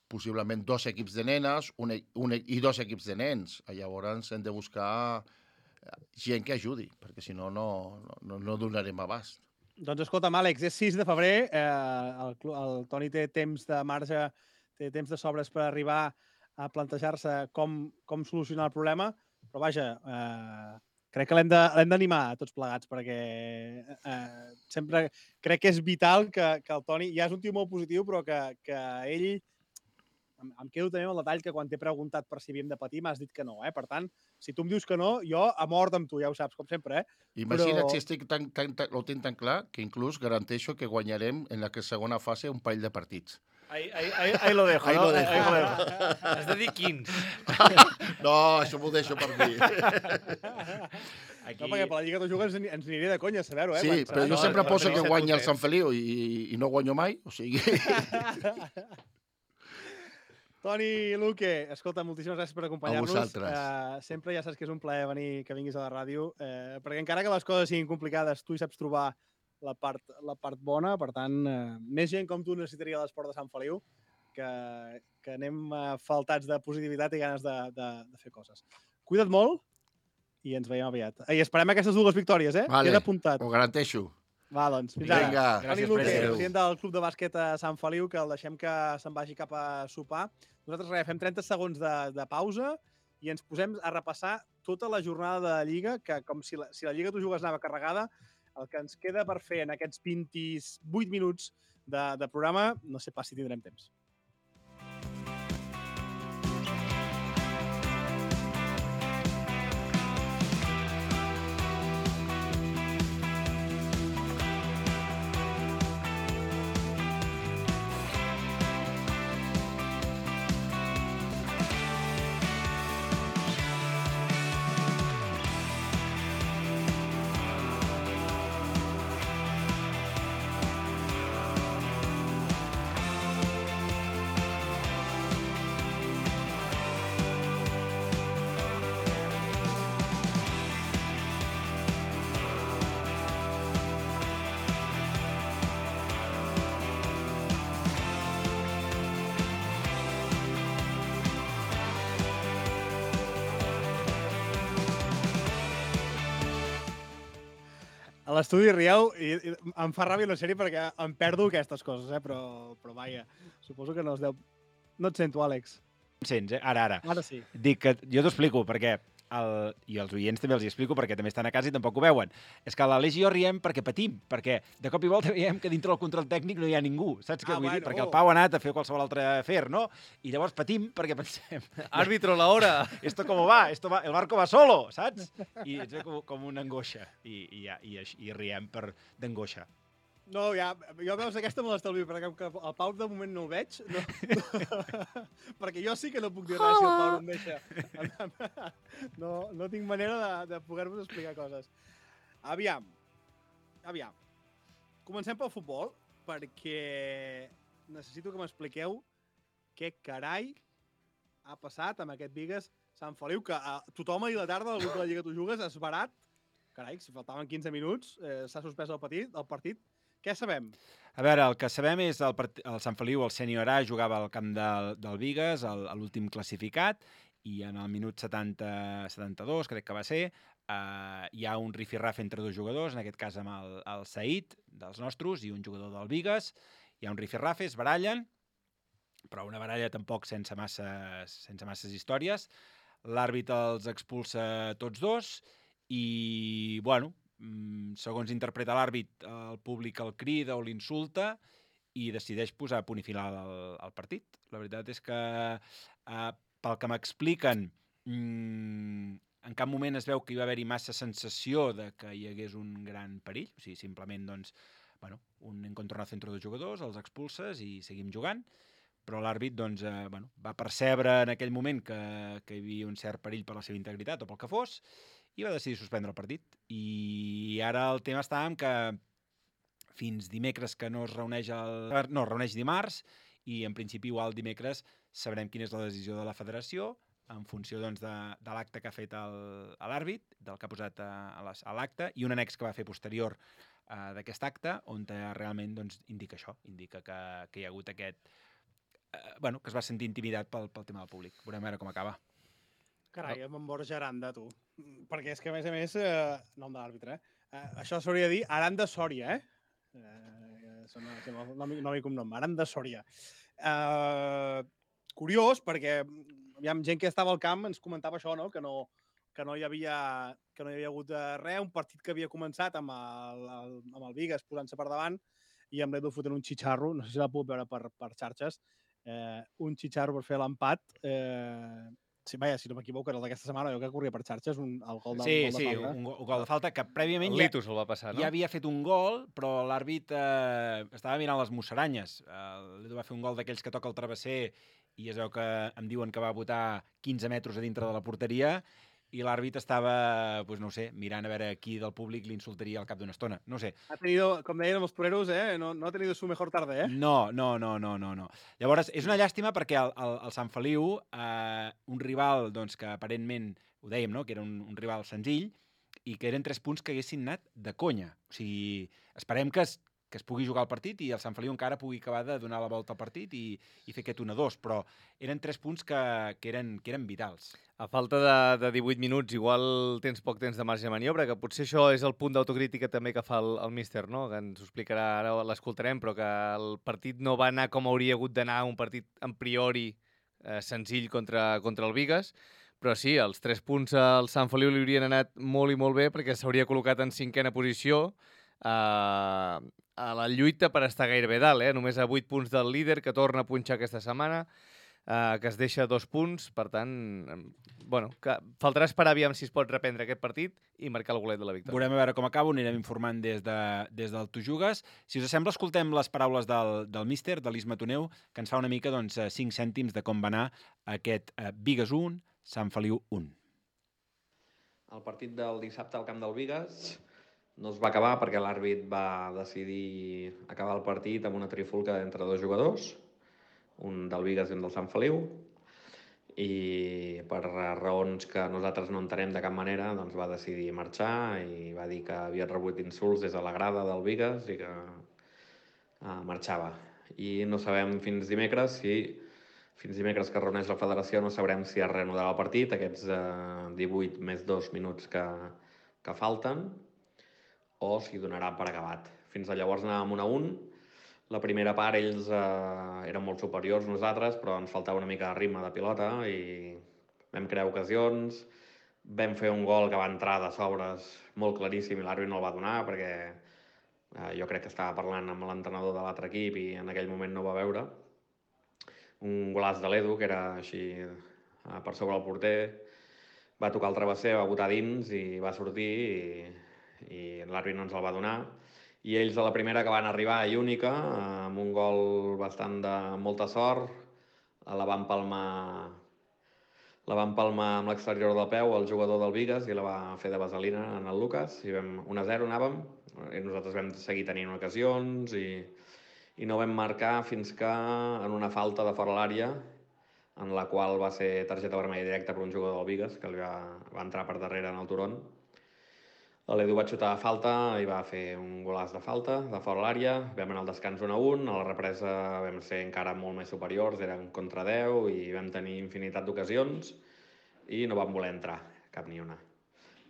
possiblement dos equips de nenes un, un, i dos equips de nens. Llavors hem de buscar gent que ajudi, perquè si no, no, no, no donarem abast. Doncs escolta'm, Àlex, és sis de febrer, eh, el, el Toni té temps de marge, té temps de sobres per arribar a plantejar-se com, com solucionar el problema, però vaja, eh, crec que l'hem d'animar tots plegats, perquè eh, sempre crec que és vital que, que el Toni, ja és un tio molt positiu, però que, que ell, em, em quedo també amb el detall que quan t'he preguntat per si havíem de patir m'has dit que no, eh? Per tant, si tu em dius que no, jo a mort amb tu, ja ho saps, com sempre, eh? Imagina't però... si estic tan, tan, tan, ho tinc tan clar que inclús garanteixo que guanyarem en la segona fase un parell de partits. Ahí, ahí, ahí, ahí lo dejo, ahí ¿no? Lo dejo. Ahí lo dejo. Has de dir quins. No, això m'ho deixo per mi. Aquí... No, perquè per la Lliga de Jugues ens, ens aniré de conya, saber-ho, eh? Sí, quan... però jo no, sempre no, poso no, que guanya el Sant Feliu i, i no guanyo mai, o sigui... Toni, Luque, escolta, moltíssimes gràcies per acompanyar-nos. A vosaltres. Uh, sempre ja saps que és un plaer venir, que vinguis a la ràdio, uh, perquè encara que les coses siguin complicades, tu hi saps trobar la part, la part bona, per tant, uh, més gent com tu necessitaria l'esport de Sant Feliu, que, que anem uh, faltats de positivitat i ganes de, de, de fer coses. Cuida't molt i ens veiem aviat. I esperem aquestes dues victòries, eh? Vale, queda apuntat. ho garanteixo. Va, doncs, fins Vinga. ara. Toni Luque, president del Club de Bàsquet a Sant Feliu, que el deixem que se'n vagi cap a sopar. Nosaltres res, fem trenta segons de, de pausa i ens posem a repassar tota la jornada de la Lliga, que com si la, si la Lliga tu jugues anava carregada, el que ens queda per fer en aquests vint-i-vuit minuts de, de programa, no sé pas si tindrem temps. A l'estudi rieu i, i em fa ràbia una sèrie perquè em perdo aquestes coses, eh? però, però vaja, suposo que no es deu... No et sento, Àlex. Em sents, eh? Ara, ara. Ara sí. Dic que jo t'ho explico, perquè el, i els oients també els hi explico perquè també estan a casa i tampoc ho veuen. És que l'Aleix i jo riem perquè patim, perquè de cop i volta veiem que dintre del control tècnic no hi ha ningú, saps què Ah, vull dir? bueno. Perquè el Pau ha anat a fer qualsevol altre afer, no? I llavors patim perquè pensem... Árbitro, la hora. Esto como va, esto va, el barco va solo, saps? I ens ve com, com una angoixa i, i, ja, i, i riem per d'angoixa. No, ja, jo veus aquesta me l'estalvio, perquè el Pau de moment no el veig. No. Perquè jo sí que no puc dir res si el Pau no em deixa. No, no tinc manera de, de poder-vos explicar coses. Aviam, aviam. Comencem pel futbol, perquè necessito que m'expliqueu què carai ha passat amb aquest Bigues Sant Feliu, que a tothom ahir a la tarda, al grup de la Lliga Tu Jugues, es barat. Carai, si faltaven quinze minuts, eh, s'ha suspès el partit, el partit. Què sabem? A veure, el que sabem és el, el Sant Feliu, el Sènior A, jugava al camp del, del Bigues, el, l'últim classificat, i en el minut setanta, setanta-dos, crec que va ser, eh, hi ha un rifirraf entre dos jugadors, en aquest cas amb el, el Said, dels nostres, i un jugador del Bigues. Hi ha un rifirraf, es barallen, però una baralla tampoc sense masses, sense masses històries. L'àrbit els expulsa tots dos, i, bueno, segons interpreta l'àrbit, el públic el crida o l'insulta i decideix posar a punt i final al, al partit. La veritat és que, eh, pel que m'expliquen, mmm, en cap moment es veu que hi va haver-hi massa sensació de que hi hagués un gran perill. O sigui, simplement, doncs, bueno, un encontronazo entre dos jugadors, els expulses i seguim jugant. però l'àrbit doncs, eh, bueno, va percebre en aquell moment que, que hi havia un cert perill per la seva integritat o pel que fos, i va decidir suspendre el partit. I ara el tema està en que fins dimecres que no es reuneix el... No, es reuneix dimarts, i en principi igual dimecres sabrem quina és la decisió de la federació en funció doncs, de, de l'acte que ha fet l'àrbit, del que ha posat a, a l'acte, i un annex que va fer posterior uh, d'aquest acte, on realment doncs, indica això, indica que, que hi ha hagut aquest... Uh, bueno, que es va sentir intimidat pel, pel tema del públic. Veurem a veure com acaba. Carai, amb en Borja Aranda, tu. Perquè és que, a més a més, eh, nom de l'àrbitre, eh? eh? Això s'hauria de dir Aranda Sòria, eh? eh Són nom i cognom, Aranda Sòria. Eh, curiós, perquè aviam, gent que estava al camp ens comentava això, no? Que no, que no hi havia, que no hi havia hagut res, un partit que havia començat amb el, el, amb el Vigas posant-se per davant i amb l'Edu fotent un xitxarro, no sé si la puc veure per, per xarxes, eh, un xitxarro per fer l'empat. Eh, sí, vaja, si no m'equivoco, era el d'aquesta setmana, jo que corria per xarxes, un, el gol de, sí, gol de sí, falta. un, un gol de falta que prèviament el ja, Litus el va passar, no? ja havia fet un gol, però l'àrbit eh, estava mirant les musaranyes. Eh, L'Edu va fer un gol d'aquells que toca el travesser i es veu que em diuen que va botar quinze metres a dintre de la porteria i l'àrbit estava, pues no ho sé, mirant a veure qui del públic l'insultaria al cap d'una estona. No sé. Ha tenido, com deien els toreros, eh? no, no ha tenido su mejor tarde, eh? No, no, no, no, no. no. Llavors, és una llàstima perquè el, el, el Sant Feliu, eh, un rival doncs, que aparentment, ho dèiem, no? Que era un, un rival senzill i que eren tres punts que haguessin anat de conya. O sigui, esperem que es, que es pugui jugar el partit i el Sant Feliu encara pugui acabar de donar la volta al partit i, i fer aquest un a dos, però eren tres punts que, que, eren, que eren vitals. A falta de, de divuit minuts, igual tens poc temps de marge de maniobra, que potser això és el punt d'autocrítica també que fa el, el míster, no? Que ens ho explicarà, ara l'escoltarem, però que el partit no va anar com hauria hagut d'anar, un partit en priori eh, senzill contra, contra el Vigas, però sí, els tres punts al Sant Feliu li haurien anat molt i molt bé perquè s'hauria col·locat en cinquena posició, eh, a la lluita per estar gairebé dalt, eh? Només a vuit punts del líder, que torna a punxar aquesta setmana, eh, que es deixa dos punts, per tant, bueno, que faltarà esperar aviam si es pot reprendre aquest partit i marcar el golet de la victòria. Veurem a veure com acaba, ho anirem informant des, de, des del Tu Jugues. Si us sembla, escoltem les paraules del, del míster, de l'Isma Toneu, que ens fa una mica doncs, cinc cèntims de com va anar aquest eh, Vigas un, Sant Feliu un. El partit del dissabte al camp del Vigas no es va acabar perquè l'àrbit va decidir acabar el partit amb una trifulca entre dos jugadors, un del Vigas i un del Sant Feliu, i per raons que nosaltres no entenem de cap manera doncs va decidir marxar i va dir que havia rebut insults des de la grada del Vigas i que uh, marxava. I no sabem fins dimecres si fins dimecres que es reuneix la federació no sabrem si es reanudarà el partit, aquests uh, divuit més dos minuts que, que falten, o si donarà per acabat. Fins a llavors anàvem un a un. La primera part ells eh, eren molt superiors nosaltres, però ens faltava una mica de ritme de pilota i vam crear ocasions. Vam fer un gol que va entrar de sobres molt claríssim i l'àrbit no el va donar perquè eh, jo crec que estava parlant amb l'entrenador de l'altre equip i en aquell moment no ho va veure. Un golaç de l'Edu, que era així eh, per sobre el porter, va tocar el travesser, va botar dins i va sortir i i l'àrbit no ens el va donar, i ells a la primera que van arribar i única, amb un gol bastant de molta sort, la van palmar, la van palmar amb l'exterior del peu el jugador del Vigas i la va fer de vaselina en el Lucas, i vam un a zero anàvem, i nosaltres vam seguir tenint ocasions i, i no vam marcar fins que en una falta de fora l'àrea, en la qual va ser targeta vermella directa per un jugador del Vigas, que li va, va entrar per darrere en el turon. L'Edu va xutar a falta i va fer un golaç de falta, de fora l'àrea. Vam anar al descans un a un, a la represa vam ser encara molt més superiors, eren contra deu i vam tenir infinitat d'ocasions i no vam voler entrar, cap ni una.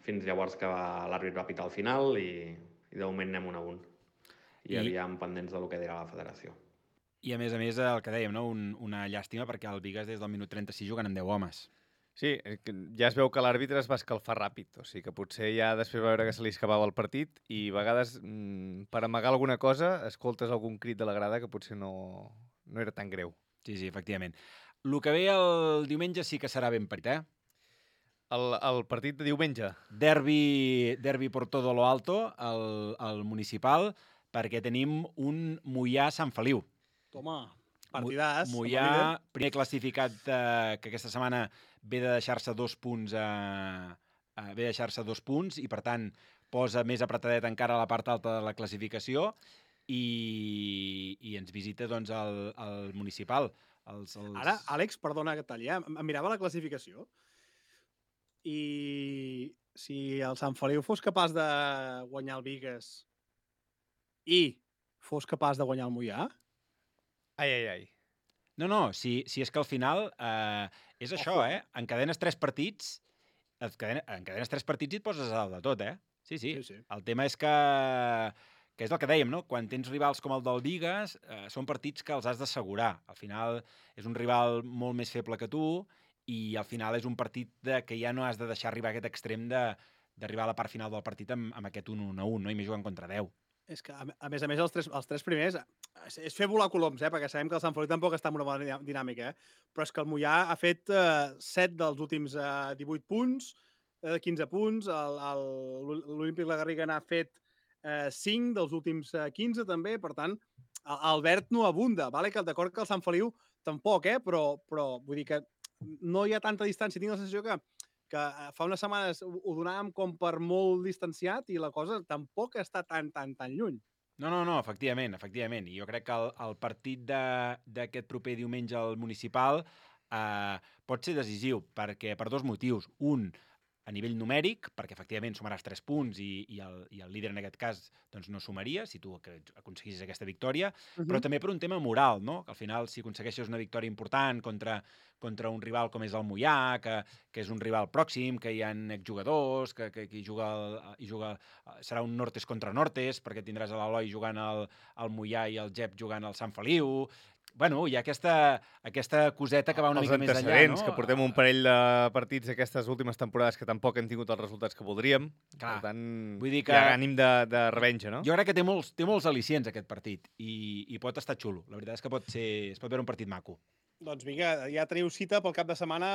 Fins llavors que l'àrbit va pitar al final i, i de moment anem un a un. I, I aviam pendents del que dirà la federació. I a més a més, el que dèiem, no? Un, una llàstima perquè el Vigas des del minut trenta-sis jugant amb deu homes. Sí, ja es veu que l'àrbitre es va escalfar ràpid, o sigui que potser ja després va veure que se li escapava el partit i a vegades, mmm, per amagar alguna cosa, escoltes algun crit de la grada que potser no, no era tan greu. Sí, sí, efectivament. El que ve el diumenge sí que serà ben parit, eh? El, el partit de diumenge? Derbi, derbi por todo lo alto, el, el municipal, perquè tenim un Moià Sant Feliu. Toma. Partidàs. Moià, primer classificat eh, que aquesta setmana ve de deixar-se dos punts a, a, ve de deixar-se dos punts i, per tant, posa més apretadet encara a la part alta de la classificació i, i ens visita doncs, el, el municipal. Els, els... Ara, Àlex, perdona que talli, eh? em mirava la classificació i si el Sant Feliu fos capaç de guanyar el Bigues i fos capaç de guanyar el Moià... Ai, ai, ai. No, no, si, si és que al final eh, és Ojo. això, eh? Encadenes tres partits, encadena- encadenes tres partits i et poses a dalt de tot, eh? Sí, sí. Sí, sí. El tema és que, que és el que dèiem, no? Quan tens rivals com el del Bigues, eh, són partits que els has d'assegurar. Al final és un rival molt més feble que tu i al final és un partit de, que ja no has de deixar arribar a aquest extrem de d'arribar a la part final del partit amb, amb aquest un a un, no? I més jugant contra deu. És que, a a més a més, els tres, els tres primers és, és fer volar coloms, eh? Perquè sabem que el Sant Feliu tampoc està en una bona dinà- dinàmica, eh? Però és que el Moià ha fet eh, set dels últims eh, divuit punts, eh, quinze punts, el- el- l'Olímpic La Garriga n'ha fet eh, cinc dels últims eh, quinze també, per tant, el- el verd no abunda, vale? Que d'acord que el Sant Feliu tampoc, eh? Però, però vull dir que no hi ha tanta distància. Tinc la sensació que que fa unes setmanes ho ho donàvem com per molt distanciat i la cosa tampoc està tan, tan, tan lluny. No, no, no, efectivament, efectivament. I jo crec que el, el partit de- d'aquest proper diumenge al municipal eh, pot ser decisiu perquè per dos motius. Un, a nivell numèric, perquè efectivament sumaràs tres punts i, i, el, i el líder en aquest cas doncs, no sumaria, si tu ac- aconseguissis aquesta victòria, Uh però també per un tema moral, no? Que al final, si aconsegueixes una victòria important contra, contra un rival com és el Moià, que, que és un rival pròxim, que hi ha exjugadors, que, que, que hi juga, el, hi juga serà un Nortes contra Nortes, perquè tindràs a l'Eloi jugant al, al Moià i el Jep jugant al Sant Feliu. Bueno, hi ha aquesta, aquesta coseta que va una Els mica més enllà, antecedents, no? que portem un parell de partits aquestes últimes temporades que tampoc hem tingut els resultats que voldríem. Clar, Per tant, vull dir que- hi ha ànim de, de revenja, no? Jo crec que té molts, té molts al·licients aquest partit i, i pot estar xulo. La veritat és que pot ser, es pot veure un partit maco. Doncs vinga, ja teniu cita pel cap de setmana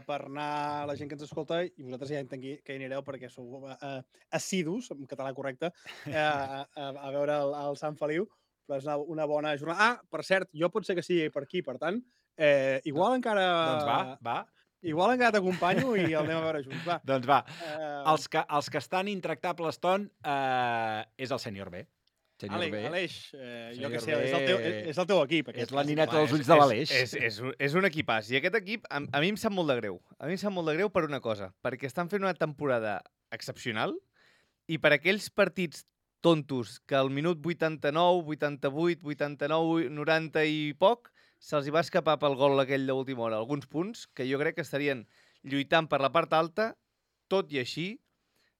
per anar la gent que ens escolta i vosaltres ja entenc que hi anireu perquè sou uh, assidus, en català correcte, uh, a, a, a veure el, el Sant Feliu, però és una, una bona jornada. Ah, per cert, jo pot ser que sigui per aquí, per tant, eh, igual encara... Doncs va, va. Igual encara t'acompanyo i el anem a veure junts, va. Doncs va. Uh, Els que, els que estan intractables, Ton, eh, és el sènior B. Sènior Aleix, B. Aleix eh, jo Sènior què sé, B. és el teu, és, és el teu equip. És aquest. la nineta Home, dels és- ulls de l'Aleix. És, és, és, un- és un equipàs. I aquest equip, a, a mi em sap molt de greu. A mi em sap molt de greu per una cosa, perquè estan fent una temporada excepcional i per aquells partits tontos que al minut vuitanta-nou, vuitanta-vuit, vuitanta-nou, noranta i poc se'ls hi va escapar pel gol aquell d'última hora alguns punts que jo crec que estarien lluitant per la part alta, tot i així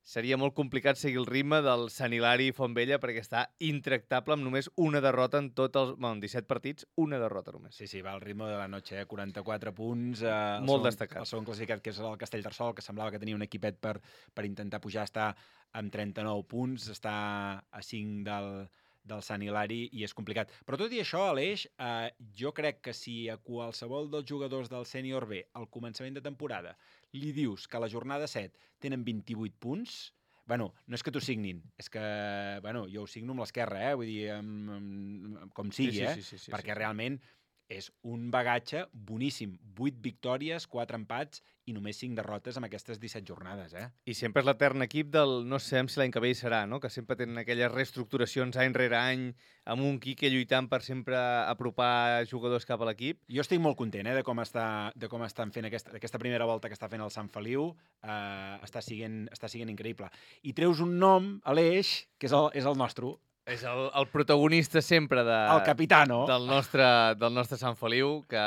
seria molt complicat seguir el ritme del Sant Hilari Fontvella perquè està intractable amb només una derrota en tots els... Bueno, en disset partits, una derrota només. Sí, sí, va al ritme de la noche, eh? quaranta-quatre punts. Eh, el Molt segon, destacat. El segon classificat, que és el Castellterçol, que semblava que tenia un equipet per, per intentar pujar, està amb trenta-nou punts, està a cinc del, del Sant Hilari i és complicat. Però tot i això, Aleix, eh, jo crec que si a qualsevol dels jugadors del sènior B al començament de temporada li dius que a la jornada set tenen vint-i-vuit punts, bueno, no és que t'ho signin, és que, bueno, jo ho signo amb l'esquerra, eh? Vull dir, amb, amb, com sigui, Sí, sí, eh? sí, sí, sí, Perquè sí. realment és un bagatge boníssim. vuit victòries, quatre empats i només cinc derrotes amb aquestes disset jornades, eh? I sempre és l'etern equip del no sabem si l'any que ve hi serà, no? Que sempre tenen aquelles reestructuracions any rere any amb un Quique lluitant per sempre apropar jugadors cap a l'equip. Jo estic molt content, eh, de com, està, de com estan fent aquesta, aquesta primera volta que està fent el Sant Feliu. Eh, està, siguent, està siguent increïble. I treus un nom, Aleix, que és el, és el nostre, És el, el protagonista sempre de, el capitano. del, nostre, del nostre Sant Feliu, que,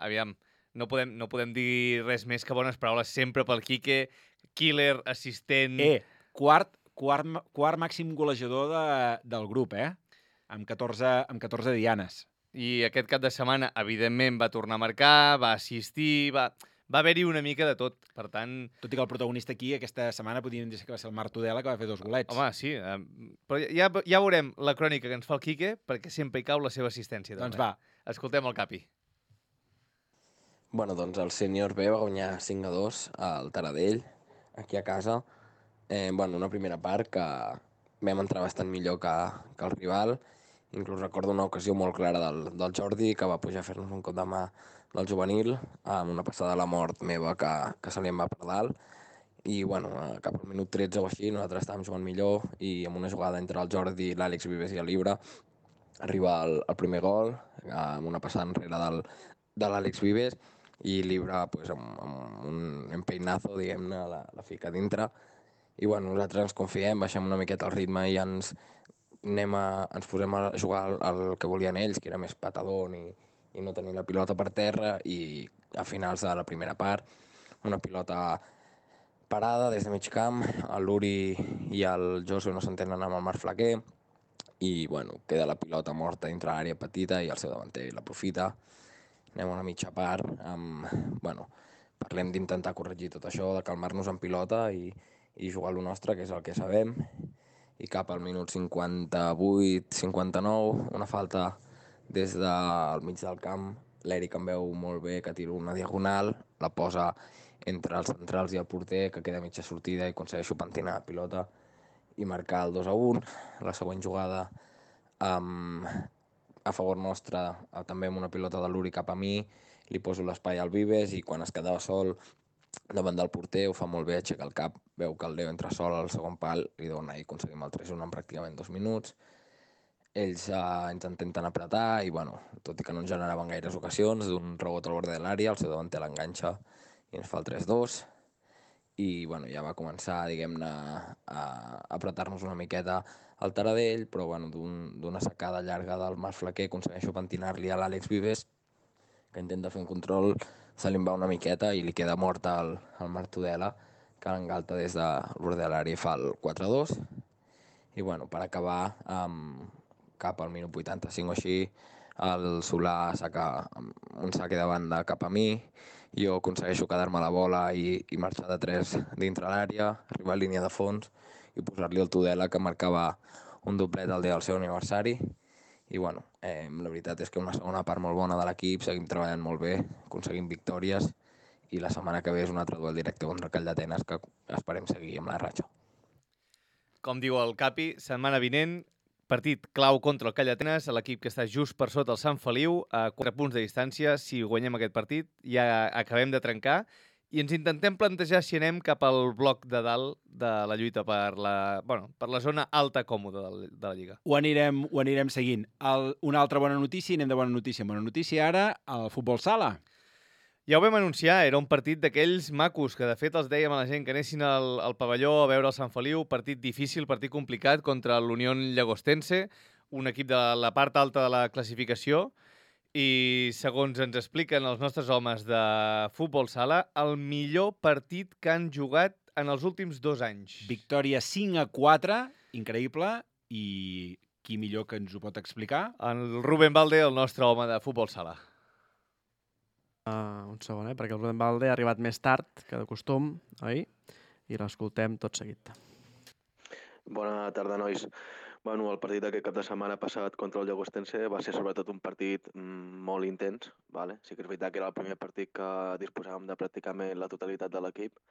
aviam, no podem, no podem dir res més que bones paraules sempre pel Quique, killer, assistent... Eh, quart, quart, ma- quart màxim golejador de, del grup, eh? Amb catorze, amb catorze dianes. I aquest cap de setmana, evidentment, va tornar a marcar, va assistir, va, va haver-hi una mica de tot. Per tant, Tot i que el protagonista aquí aquesta setmana podríem dir que va ser el Marc Tudela, que va fer dos golets. home, sí, eh, però ja, ja veurem la crònica que ens fa el Quique, perquè sempre hi cau la seva assistència. Doncs també. va. Escoltem el Capi. Bueno, doncs el sènior B va guanyar cinc a dos al Taradell, aquí a casa. Eh, bueno, una primera part que vam entrar bastant millor que, que el rival Inclús recordo una ocasió molt clara del, del Jordi, que va pujar a fer-nos un cop de mà del juvenil, amb una passada a la mort meva que, que se li en va per dalt. I, bueno, cap al minut tretze o així, nosaltres estàvem jugant millor i amb una jugada entre el Jordi, l'Àlex Vives i el Libra arriba el, el primer gol, amb una passada enrere del, de l'Àlex Vives, i Libra, pues, amb, amb un empeinazo, diguem-ne, la, la fica dintre. I, bueno, nosaltres ens confiem, baixem una miqueta el ritme i ens, anem a, ens posem a jugar el, el que volien ells, que era més patador i, i no tenir la pilota per terra, i a finals de la primera part, una pilota parada des de mig camp, l'Uri i el Josu no s'entenen amb el Marc Flaquer, i, bueno, queda la pilota morta dintre l'àrea petita i el seu davanter l'aprofita. Anem a una mitja part, amb, bueno, parlem d'intentar corregir tot això, de calmar-nos en pilota i, i jugar a lo nostre, que és el que sabem. I cap al minut cinquanta-vuit cinquanta-nou, una falta des del mig del camp, l'Eric em veu molt bé, que tira una diagonal, la posa entre els centrals i el porter, que queda mitja sortida i aconsegueixo pentinar la pilota i marcar el dos a un. La següent jugada um, a favor nostre, també amb una pilota de l'Uri cap a mi, li poso l'espai al Vives i quan es quedava sol davant del porter ho fa molt bé, aixeca el cap, veu que el Leo entra sol al segon pal, li dona i aconseguim el tres a un en pràcticament dos minuts. Ells uh, ens intenten apretar i, bueno, tot i que no ens generaven gaires ocasions, d'un rebot al bord de l'àrea, el seu davanter l'enganxa i ens fa el tres dos. I, bueno, ja va començar, diguem-ne, a apretar-nos una miqueta al Taradell, però, bueno, d'una un, secada llarga del Marc Flaquer aconsegueixo pentinar-li a l'Àlex Vives, que intenta fer un control, se li va una miqueta i li queda mort al, al Marc Tudela, que l'engalta des de l'bord de l'àrea i fa el quatre dos. I, bueno, per acabar, um, cap al minut vuitanta-cinc o així, el Solà saca un saque de banda cap a mi, jo aconsegueixo quedar-me la bola i, i marxar de tres dintre l'àrea, arribar a línia de fons i posar-li el Tudela, que marcava un doblet el dia del seu aniversari. I, bueno, eh, la veritat és que una segona part molt bona de l'equip, seguim treballant molt bé, aconseguim victòries i la setmana que ve és un altre duel directe contra el Call d'Atenes, que esperem seguir amb la ratxa. Com diu el Capi, setmana vinent, partit clau contra el Call d'Atenes, l'equip que està just per sota el Sant Feliu, a quatre punts de distància. Si guanyem aquest partit, ja acabem de trencar i ens intentem plantejar si anem cap al bloc de dalt de la lluita per la, bueno, per la zona alta còmoda de la Lliga. Ho anirem, ho anirem seguint. El, una altra bona notícia, anem de bona notícia. Bona notícia ara, el futbol sala. Ja ho vam anunciar, era un partit d'aquells macos, que de fet els dèiem a la gent que anessin al, al pavelló a veure el Sant Feliu, partit difícil, partit complicat contra l'Unión Llagostense, un equip de la part alta de la classificació, i segons ens expliquen els nostres homes de futbol sala, el millor partit que han jugat en els últims dos anys. Victòria cinc a quatre, increïble, i qui millor que ens ho pot explicar? El Rubén Valde, el nostre home de futbol sala. Uh, un segon, eh? Perquè el Rubén Valde ha arribat més tard que de costum, oi? I l'escoltem tot seguit. Bona tarda, nois. Bueno, el partit d'aquest cap de setmana passat contra el Llagostense va ser sobretot un partit mm, molt intens. Vale? Sí que és veritat que era el primer partit que disposàvem de pràcticament la totalitat de l'equip.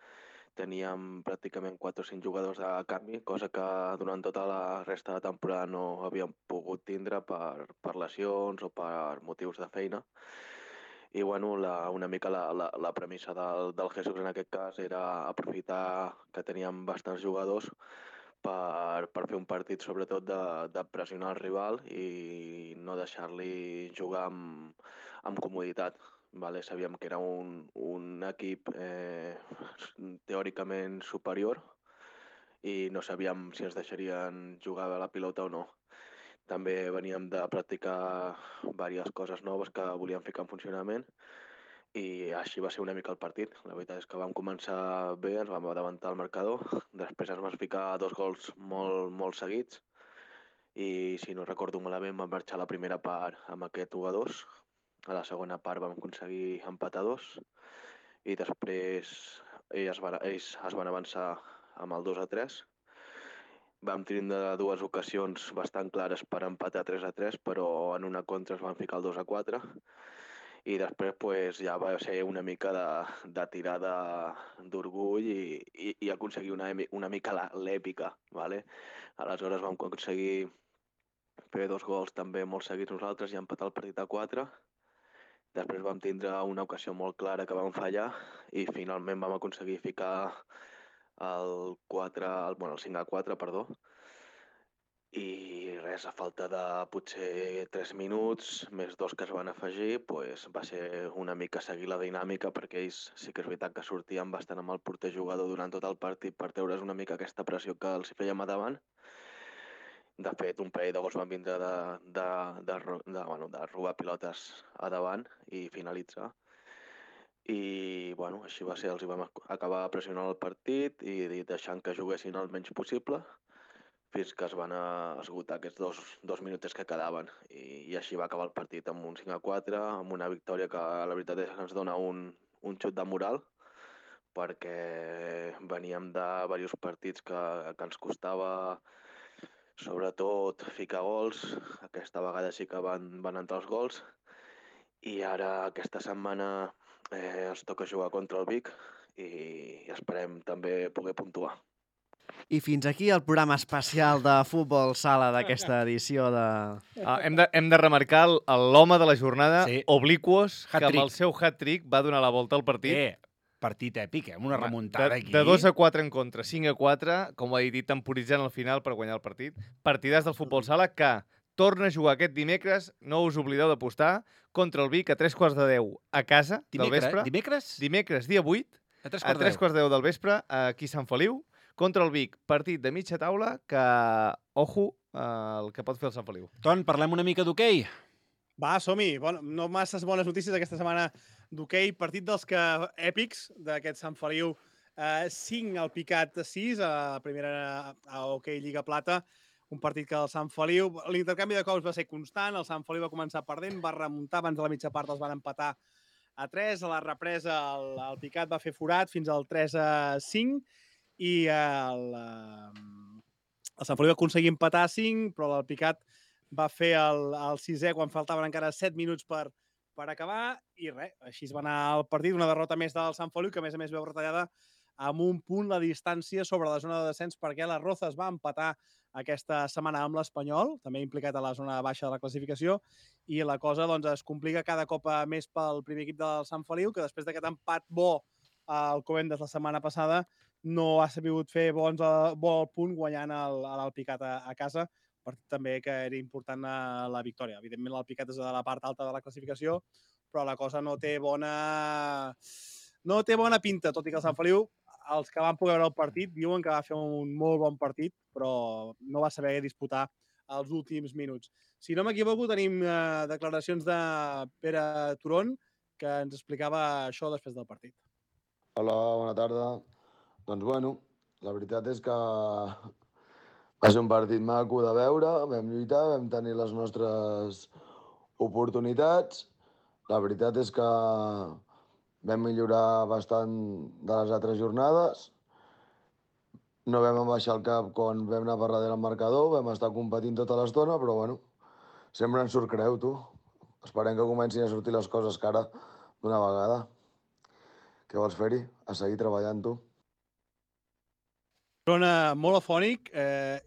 Teníem pràcticament quatre o cinc jugadors de canvi, cosa que durant tota la resta de temporada no havíem pogut tindre per, per lesions o per motius de feina. I, bueno, la, una mica la, la, la premissa del, del Jesús en aquest cas era aprofitar que teníem bastants jugadors per, per fer un partit sobretot de, de pressionar el rival i no deixar-li jugar amb, amb comoditat. Vale? Sabíem que era un, un equip eh, teòricament superior i no sabíem si ens deixarien jugar a la pilota o no. També veníem de practicar diverses coses noves que volíem ficar en funcionament i així va ser una mica el partit. La veritat és que vam començar bé, ens vam adelantar el marcador, després ens vam ficar dos gols molt, molt seguits i, si no recordo malament, vam marxar la primera part amb aquest u a dos, a la segona part vam aconseguir empatar dos i després ells, van, ells es van avançar amb el dos a tres. Vam tindre dues ocasions bastant clares per empatar tres a tres, però en una contra es van ficar el dos a quatre i després pues, ja va ser una mica de, de tirada d'orgull i, i, i aconseguir una, una mica l'èpica. Vale? Aleshores vam aconseguir fer dos gols també molt seguits nosaltres i empatar el partit a quatre. Després vam tindre una ocasió molt clara que vam fallar i finalment vam aconseguir ficar el, quatre, el, bueno, el cinc a quatre, perdó. I res, a falta de potser tres minuts, més dos que es van afegir, pues va ser una mica seguir la dinàmica perquè ells sí que és veritat que sortien bastant amb el porter jugador durant tot el partit per treure's una mica aquesta pressió que els fèiem a davant. De fet, un parell de gols van vindre de, de, de, de, de, bueno, de robar pilotes a davant i finalitzar. I bueno, així va ser, els hi vam acabar pressionant el partit i deixant que juguessin el menys possible fins que es van esgotar aquests dos, dos minuts que quedaven. I, I així va acabar el partit amb un cinc a quatre, amb una victòria que la veritat és que ens dona un, un xut de moral perquè veníem de diversos partits que, que ens costava sobretot ficar gols. Aquesta vegada sí que van, van entrar els gols i ara aquesta setmana eh, ens toca jugar contra el Vic i esperem també poder puntuar. I fins aquí el programa especial de Futbol Sala d'aquesta edició de... Ah, hem, de, hem de remarcar l'home de la jornada, sí. Obliquos, que Hat-trick. amb el seu hat-trick va donar la volta al partit. Eh, partit èpic, eh? Amb una remuntada de, aquí. De dos a quatre en contra, cinc a quatre, com ho he dit, temporitzant al final per guanyar el partit. Partidàs del Futbol Sala que torna a jugar aquest dimecres, no us oblideu d'apostar, contra el Vic a tres quarts de deu a casa Dimecres, del vespre. Dimecres? Dimecres, dia vuit, a tres a tres quarts de deu del vespre, aquí a Sant Feliu, contra el Vic, partit de mitja taula que, ojo, eh, el que pot fer el Sant Feliu. Ton, parlem una mica d'hoquei. Va, som-hi. Bon, no masses bones notícies aquesta setmana d'hoquei. Partit dels que èpics d'aquest Sant Feliu. Eh, cinc al picat sis a la primera a hoquei Lliga Plata. Un partit que el Sant Feliu... L'intercanvi de cops va ser constant. El Sant Feliu va començar perdent, va remuntar abans de la mitja part, els van empatar a tres. A la represa el, el picat va fer forat fins al tres a cinc. I el, el Sant Feliu va aconseguir empatar a cinc, però el Picat va fer el, el sisè quan faltaven encara set minuts per, per acabar i res, així es va anar el partit, una derrota més del Sant Feliu, que a més a més veu retallada amb un punt la distància sobre la zona de descens perquè la Rozas va empatar aquesta setmana amb l'Espanyol, també implicat a la zona baixa de la classificació, i la cosa doncs, es complica cada cop més pel primer equip del Sant Feliu, que després d'aquest empat bo al Covendes la setmana passada no ha sabut fer bons a, bo al punt guanyant l'Alpicat a, a casa, partit també que era important a la victòria. Evidentment l'Alpicat és de la part alta de la classificació, però la cosa no té bona no té bona pinta, tot i que el Sant Feliu, els que van poder veure el partit, diuen que va fer un molt bon partit, però no va saber disputar els últims minuts. Si no m'equivoco, tenim eh, declaracions de Pere Turon, que ens explicava això després del partit. Hola, bona tarda. Doncs bueno, la veritat és que va ser un partit maco de veure, vam lluitar, vam tenir les nostres oportunitats. La veritat és que vam millorar bastant de les altres jornades. No vam abaixar el cap quan vam anar per darrere el marcador, vam estar competint tota l'estona, però bueno, sempre ens surt creu, tu. Esperem que comencin a sortir les coses cara d'una vegada. Què vols fer-hi? A seguir treballant, tu. Trona molt afònic eh,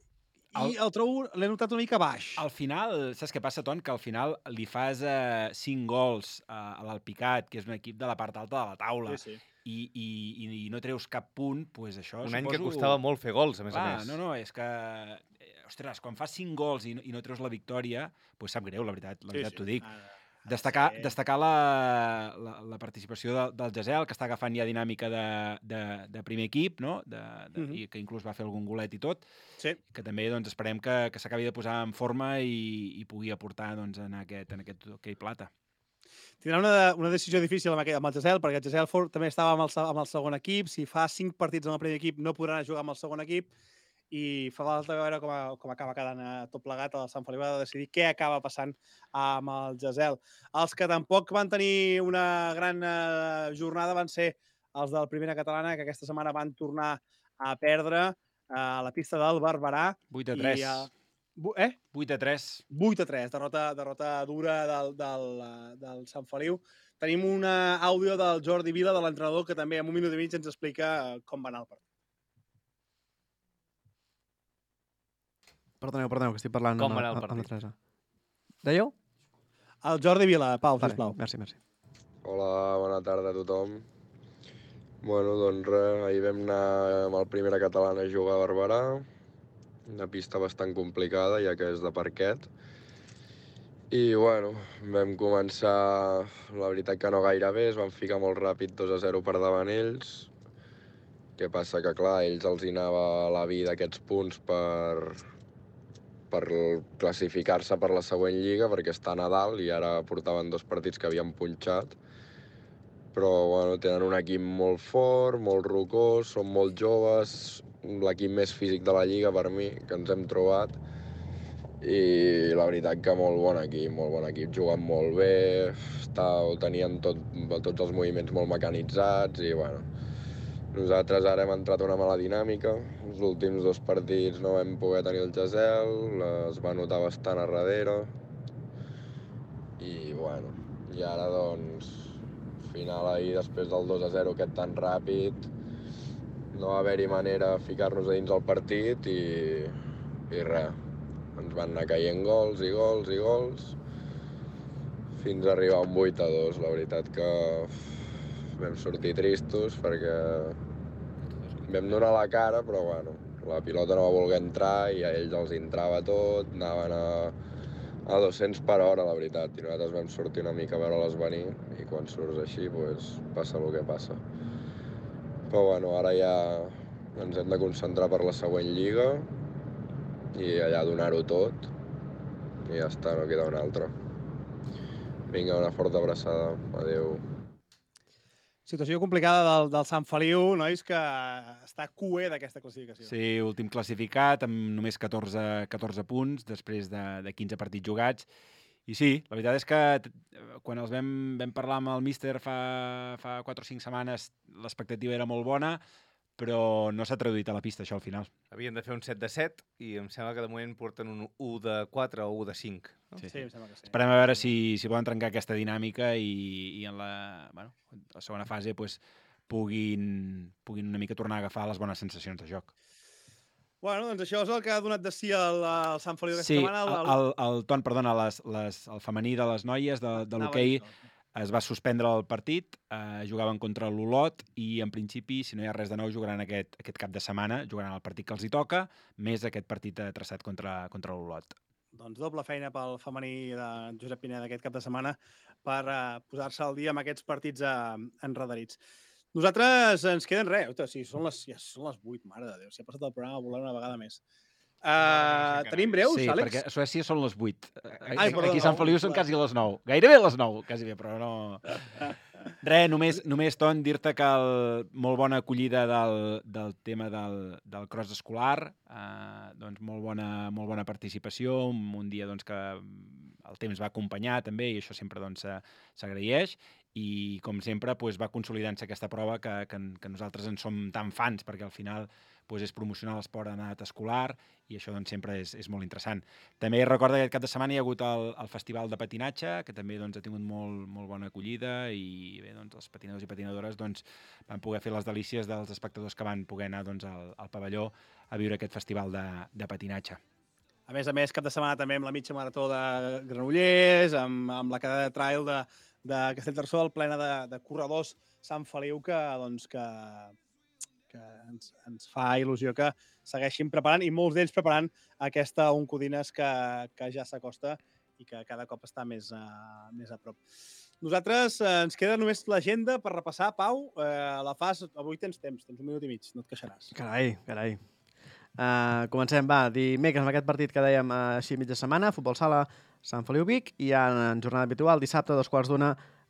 i el, el trobo, l'he notat una mica baix. Al final, saps què passa, Ton? Que al final li fas eh, cinc gols eh, a l'Alpicat, que és un equip de la part alta de la taula, sí, sí. I, i, i no treus cap punt, doncs això un suposo... any que costava molt fer gols, a més Clar, a més. No, no, és que... Ostres, quan fas cinc gols i no, i no treus la victòria, doncs sap greu, la veritat, la veritat sí, t'ho dic. Ah, Destacar, sí. destacar la, la, la participació de, del Gesell, que està agafant ja dinàmica de, de, de primer equip, no? de, de, uh -huh. i que inclús va fer algun golet i tot, sí. que també doncs, esperem que, que s'acabi de posar en forma i, i pugui aportar doncs, en aquest, en aquest hoquei plata. Tindrà una, una decisió difícil amb, aquest, amb el Gesell, perquè el Gesell Ford també estava amb el, amb el segon equip. Si fa cinc partits amb el primer equip, no podran jugar amb el segon equip. I fa falta veure com, a, com acaba quedant tot plegat. El Sant Feliu ha de decidir què acaba passant amb el Gesell. Els que tampoc van tenir una gran eh, jornada van ser els del Primera Catalana, que aquesta setmana van tornar a perdre eh, a la pista del Barberà. vuit a tres. I, eh, eh? vuit a tres. vuit a tres, derrota, derrota dura del, del, del Sant Feliu. Tenim un àudio del Jordi Vila, de l'entrenador, que també en un minut i mig ens explica com va anar el partit. Perdoneu, perdoneu, que estic parlant Com amb, va anar el amb, amb la partit? Teresa. Dèieu? El Jordi Vila, Pau, Vale, sisplau. merci, merci. Hola, bona tarda a tothom. Bueno, doncs res, ahir vam anar amb el Primera Catalana a jugar a Barberà, una pista bastant complicada, ja que és de parquet. I, bueno, vam començar, la veritat que no gaire bé, es van ficar molt ràpid dos a zero per davant ells. Què passa? Que, clar, a ells els hi anava la vida aquests punts per, per classificar-se per la següent lliga, perquè estan a dalt i ara portaven dos partits que havien punxat. Però, bueno, tenen un equip molt fort, molt rocós, són molt joves, l'equip més físic de la lliga per mi, que ens hem trobat. I la veritat que molt bon equip, molt bon equip, juguen molt bé, està, tenien tot, tots els moviments molt mecanitzats i, bueno, nosaltres ara hem entrat a una mala dinàmica. Els últims dos partits no vam poder tenir el gesel, es va notar bastant a darrere. I, bueno, i ara, doncs, final ahir, després del dos a zero aquest tan ràpid, no va haver-hi manera de ficar-nos a dins el partit i, i res. Ens van anar caient gols i gols i gols fins a arribar a un vuit a dos. La veritat que vam sortir tristos perquè vam donar la cara, però bueno, la pilota no va voler entrar i a ells els entrava tot, anaven a, a dos-cents per hora, la veritat, i nosaltres vam sortir una mica a veure-les venir i quan surts així, doncs, passa el que passa. Però bueno, ara ja ens hem de concentrar per la següent lliga i allà donar-ho tot i ja està, no queda una altra. Vinga, una forta abraçada. Adéu. Situació complicada del, del Sant Feliu, nois, que està cué d'aquesta classificació. Sí, últim classificat, amb només catorze, catorze punts, després de, de quinze partits jugats. I sí, la veritat és que quan els vam, vam parlar amb el míster fa, fa quatre o cinc setmanes, l'expectativa era molt bona, però no s'ha traduït a la pista, això, al final. Havien de fer un set de set i em sembla que de moment porten un u de quatre o u de cinc. No? Sí, sí, em sembla que sí. Esperem a veure si, si poden trencar aquesta dinàmica i, i en la, bueno, la segona fase pues, puguin, puguin una mica tornar a agafar les bones sensacions de joc. Bueno, doncs això és el que ha donat de si el, el Sant Feliu aquesta sí, setmana. El, el, el, el Ton, perdona, les, les, el femení de les noies de, de l'hoquei es va suspendre el partit, eh, jugaven contra l'Olot i, en principi, si no hi ha res de nou, jugaran aquest, aquest cap de setmana, jugaran el partit que els hi toca, més aquest partit traçat contra, contra l'Olot. Doncs doble feina pel femení de Josep Pineda aquest cap de setmana per eh, posar-se al dia amb aquests partits eh, enredarits. Nosaltres ens queden res. Ota, sí, són les, ja són les vuit, mare de Déu. Si ha passat el programa volant una vegada més. Uh, tenim breus, sí, Àlex? Sí, perquè a Suècia són les vuit. Ai, perdó, aquí a Sant Feliu són quasi les nou. Gairebé les nou, quasi bé, però no... Res, només, només Ton, dir-te que el, molt bona acollida del, del tema del, del cross escolar, eh, doncs molt bona, molt bona participació, un, un dia doncs, que el temps va acompanyar també i això sempre doncs, s'agraeix i com sempre doncs, va consolidant-se aquesta prova que, que, que nosaltres en som tan fans perquè al final doncs, és promocionar l'esport en edat escolar i això doncs, sempre és, és molt interessant. També recorda que aquest cap de setmana hi ha hagut el, el Festival de Patinatge, que també doncs, ha tingut molt, molt bona acollida i bé, doncs, els patinadors i patinadores doncs, van poder fer les delícies dels espectadors que van poder anar doncs, al, al pavelló a viure aquest festival de, de patinatge. A més a més, cap de setmana també amb la mitja marató de Granollers, amb, amb la cadena de trail de, de Castellterçol, plena de, de corredors Sant Feliu, que, doncs, que, que ens, ens fa il·lusió que segueixin preparant, i molts d'ells preparant aquesta Oncodines que, que ja s'acosta i que cada cop està més a, més a prop. Nosaltres eh, ens queda només l'agenda per repassar. Pau, eh, la fas, avui tens temps, tens un minut i mig, no et queixaràs. Carai, carai. Uh, comencem, va, dimecres amb aquest partit que dèiem uh, així mitja setmana, futbol sala Sant Feliu Vic, i ja en jornada habitual, dissabte, dos quarts d'una,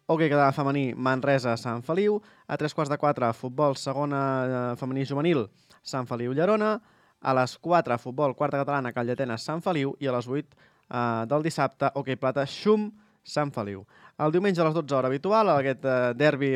hoquei català femení Manresa Sant Feliu, a tres quarts de quatre, futbol segona uh, femení juvenil Sant Feliu Llerona, a les quatre, futbol quarta catalana Calldetenes Sant Feliu, i a les vuit uh, del dissabte, hoquei plata Xum Sant Feliu. El diumenge a les dotze hora habitual, aquest uh, derbi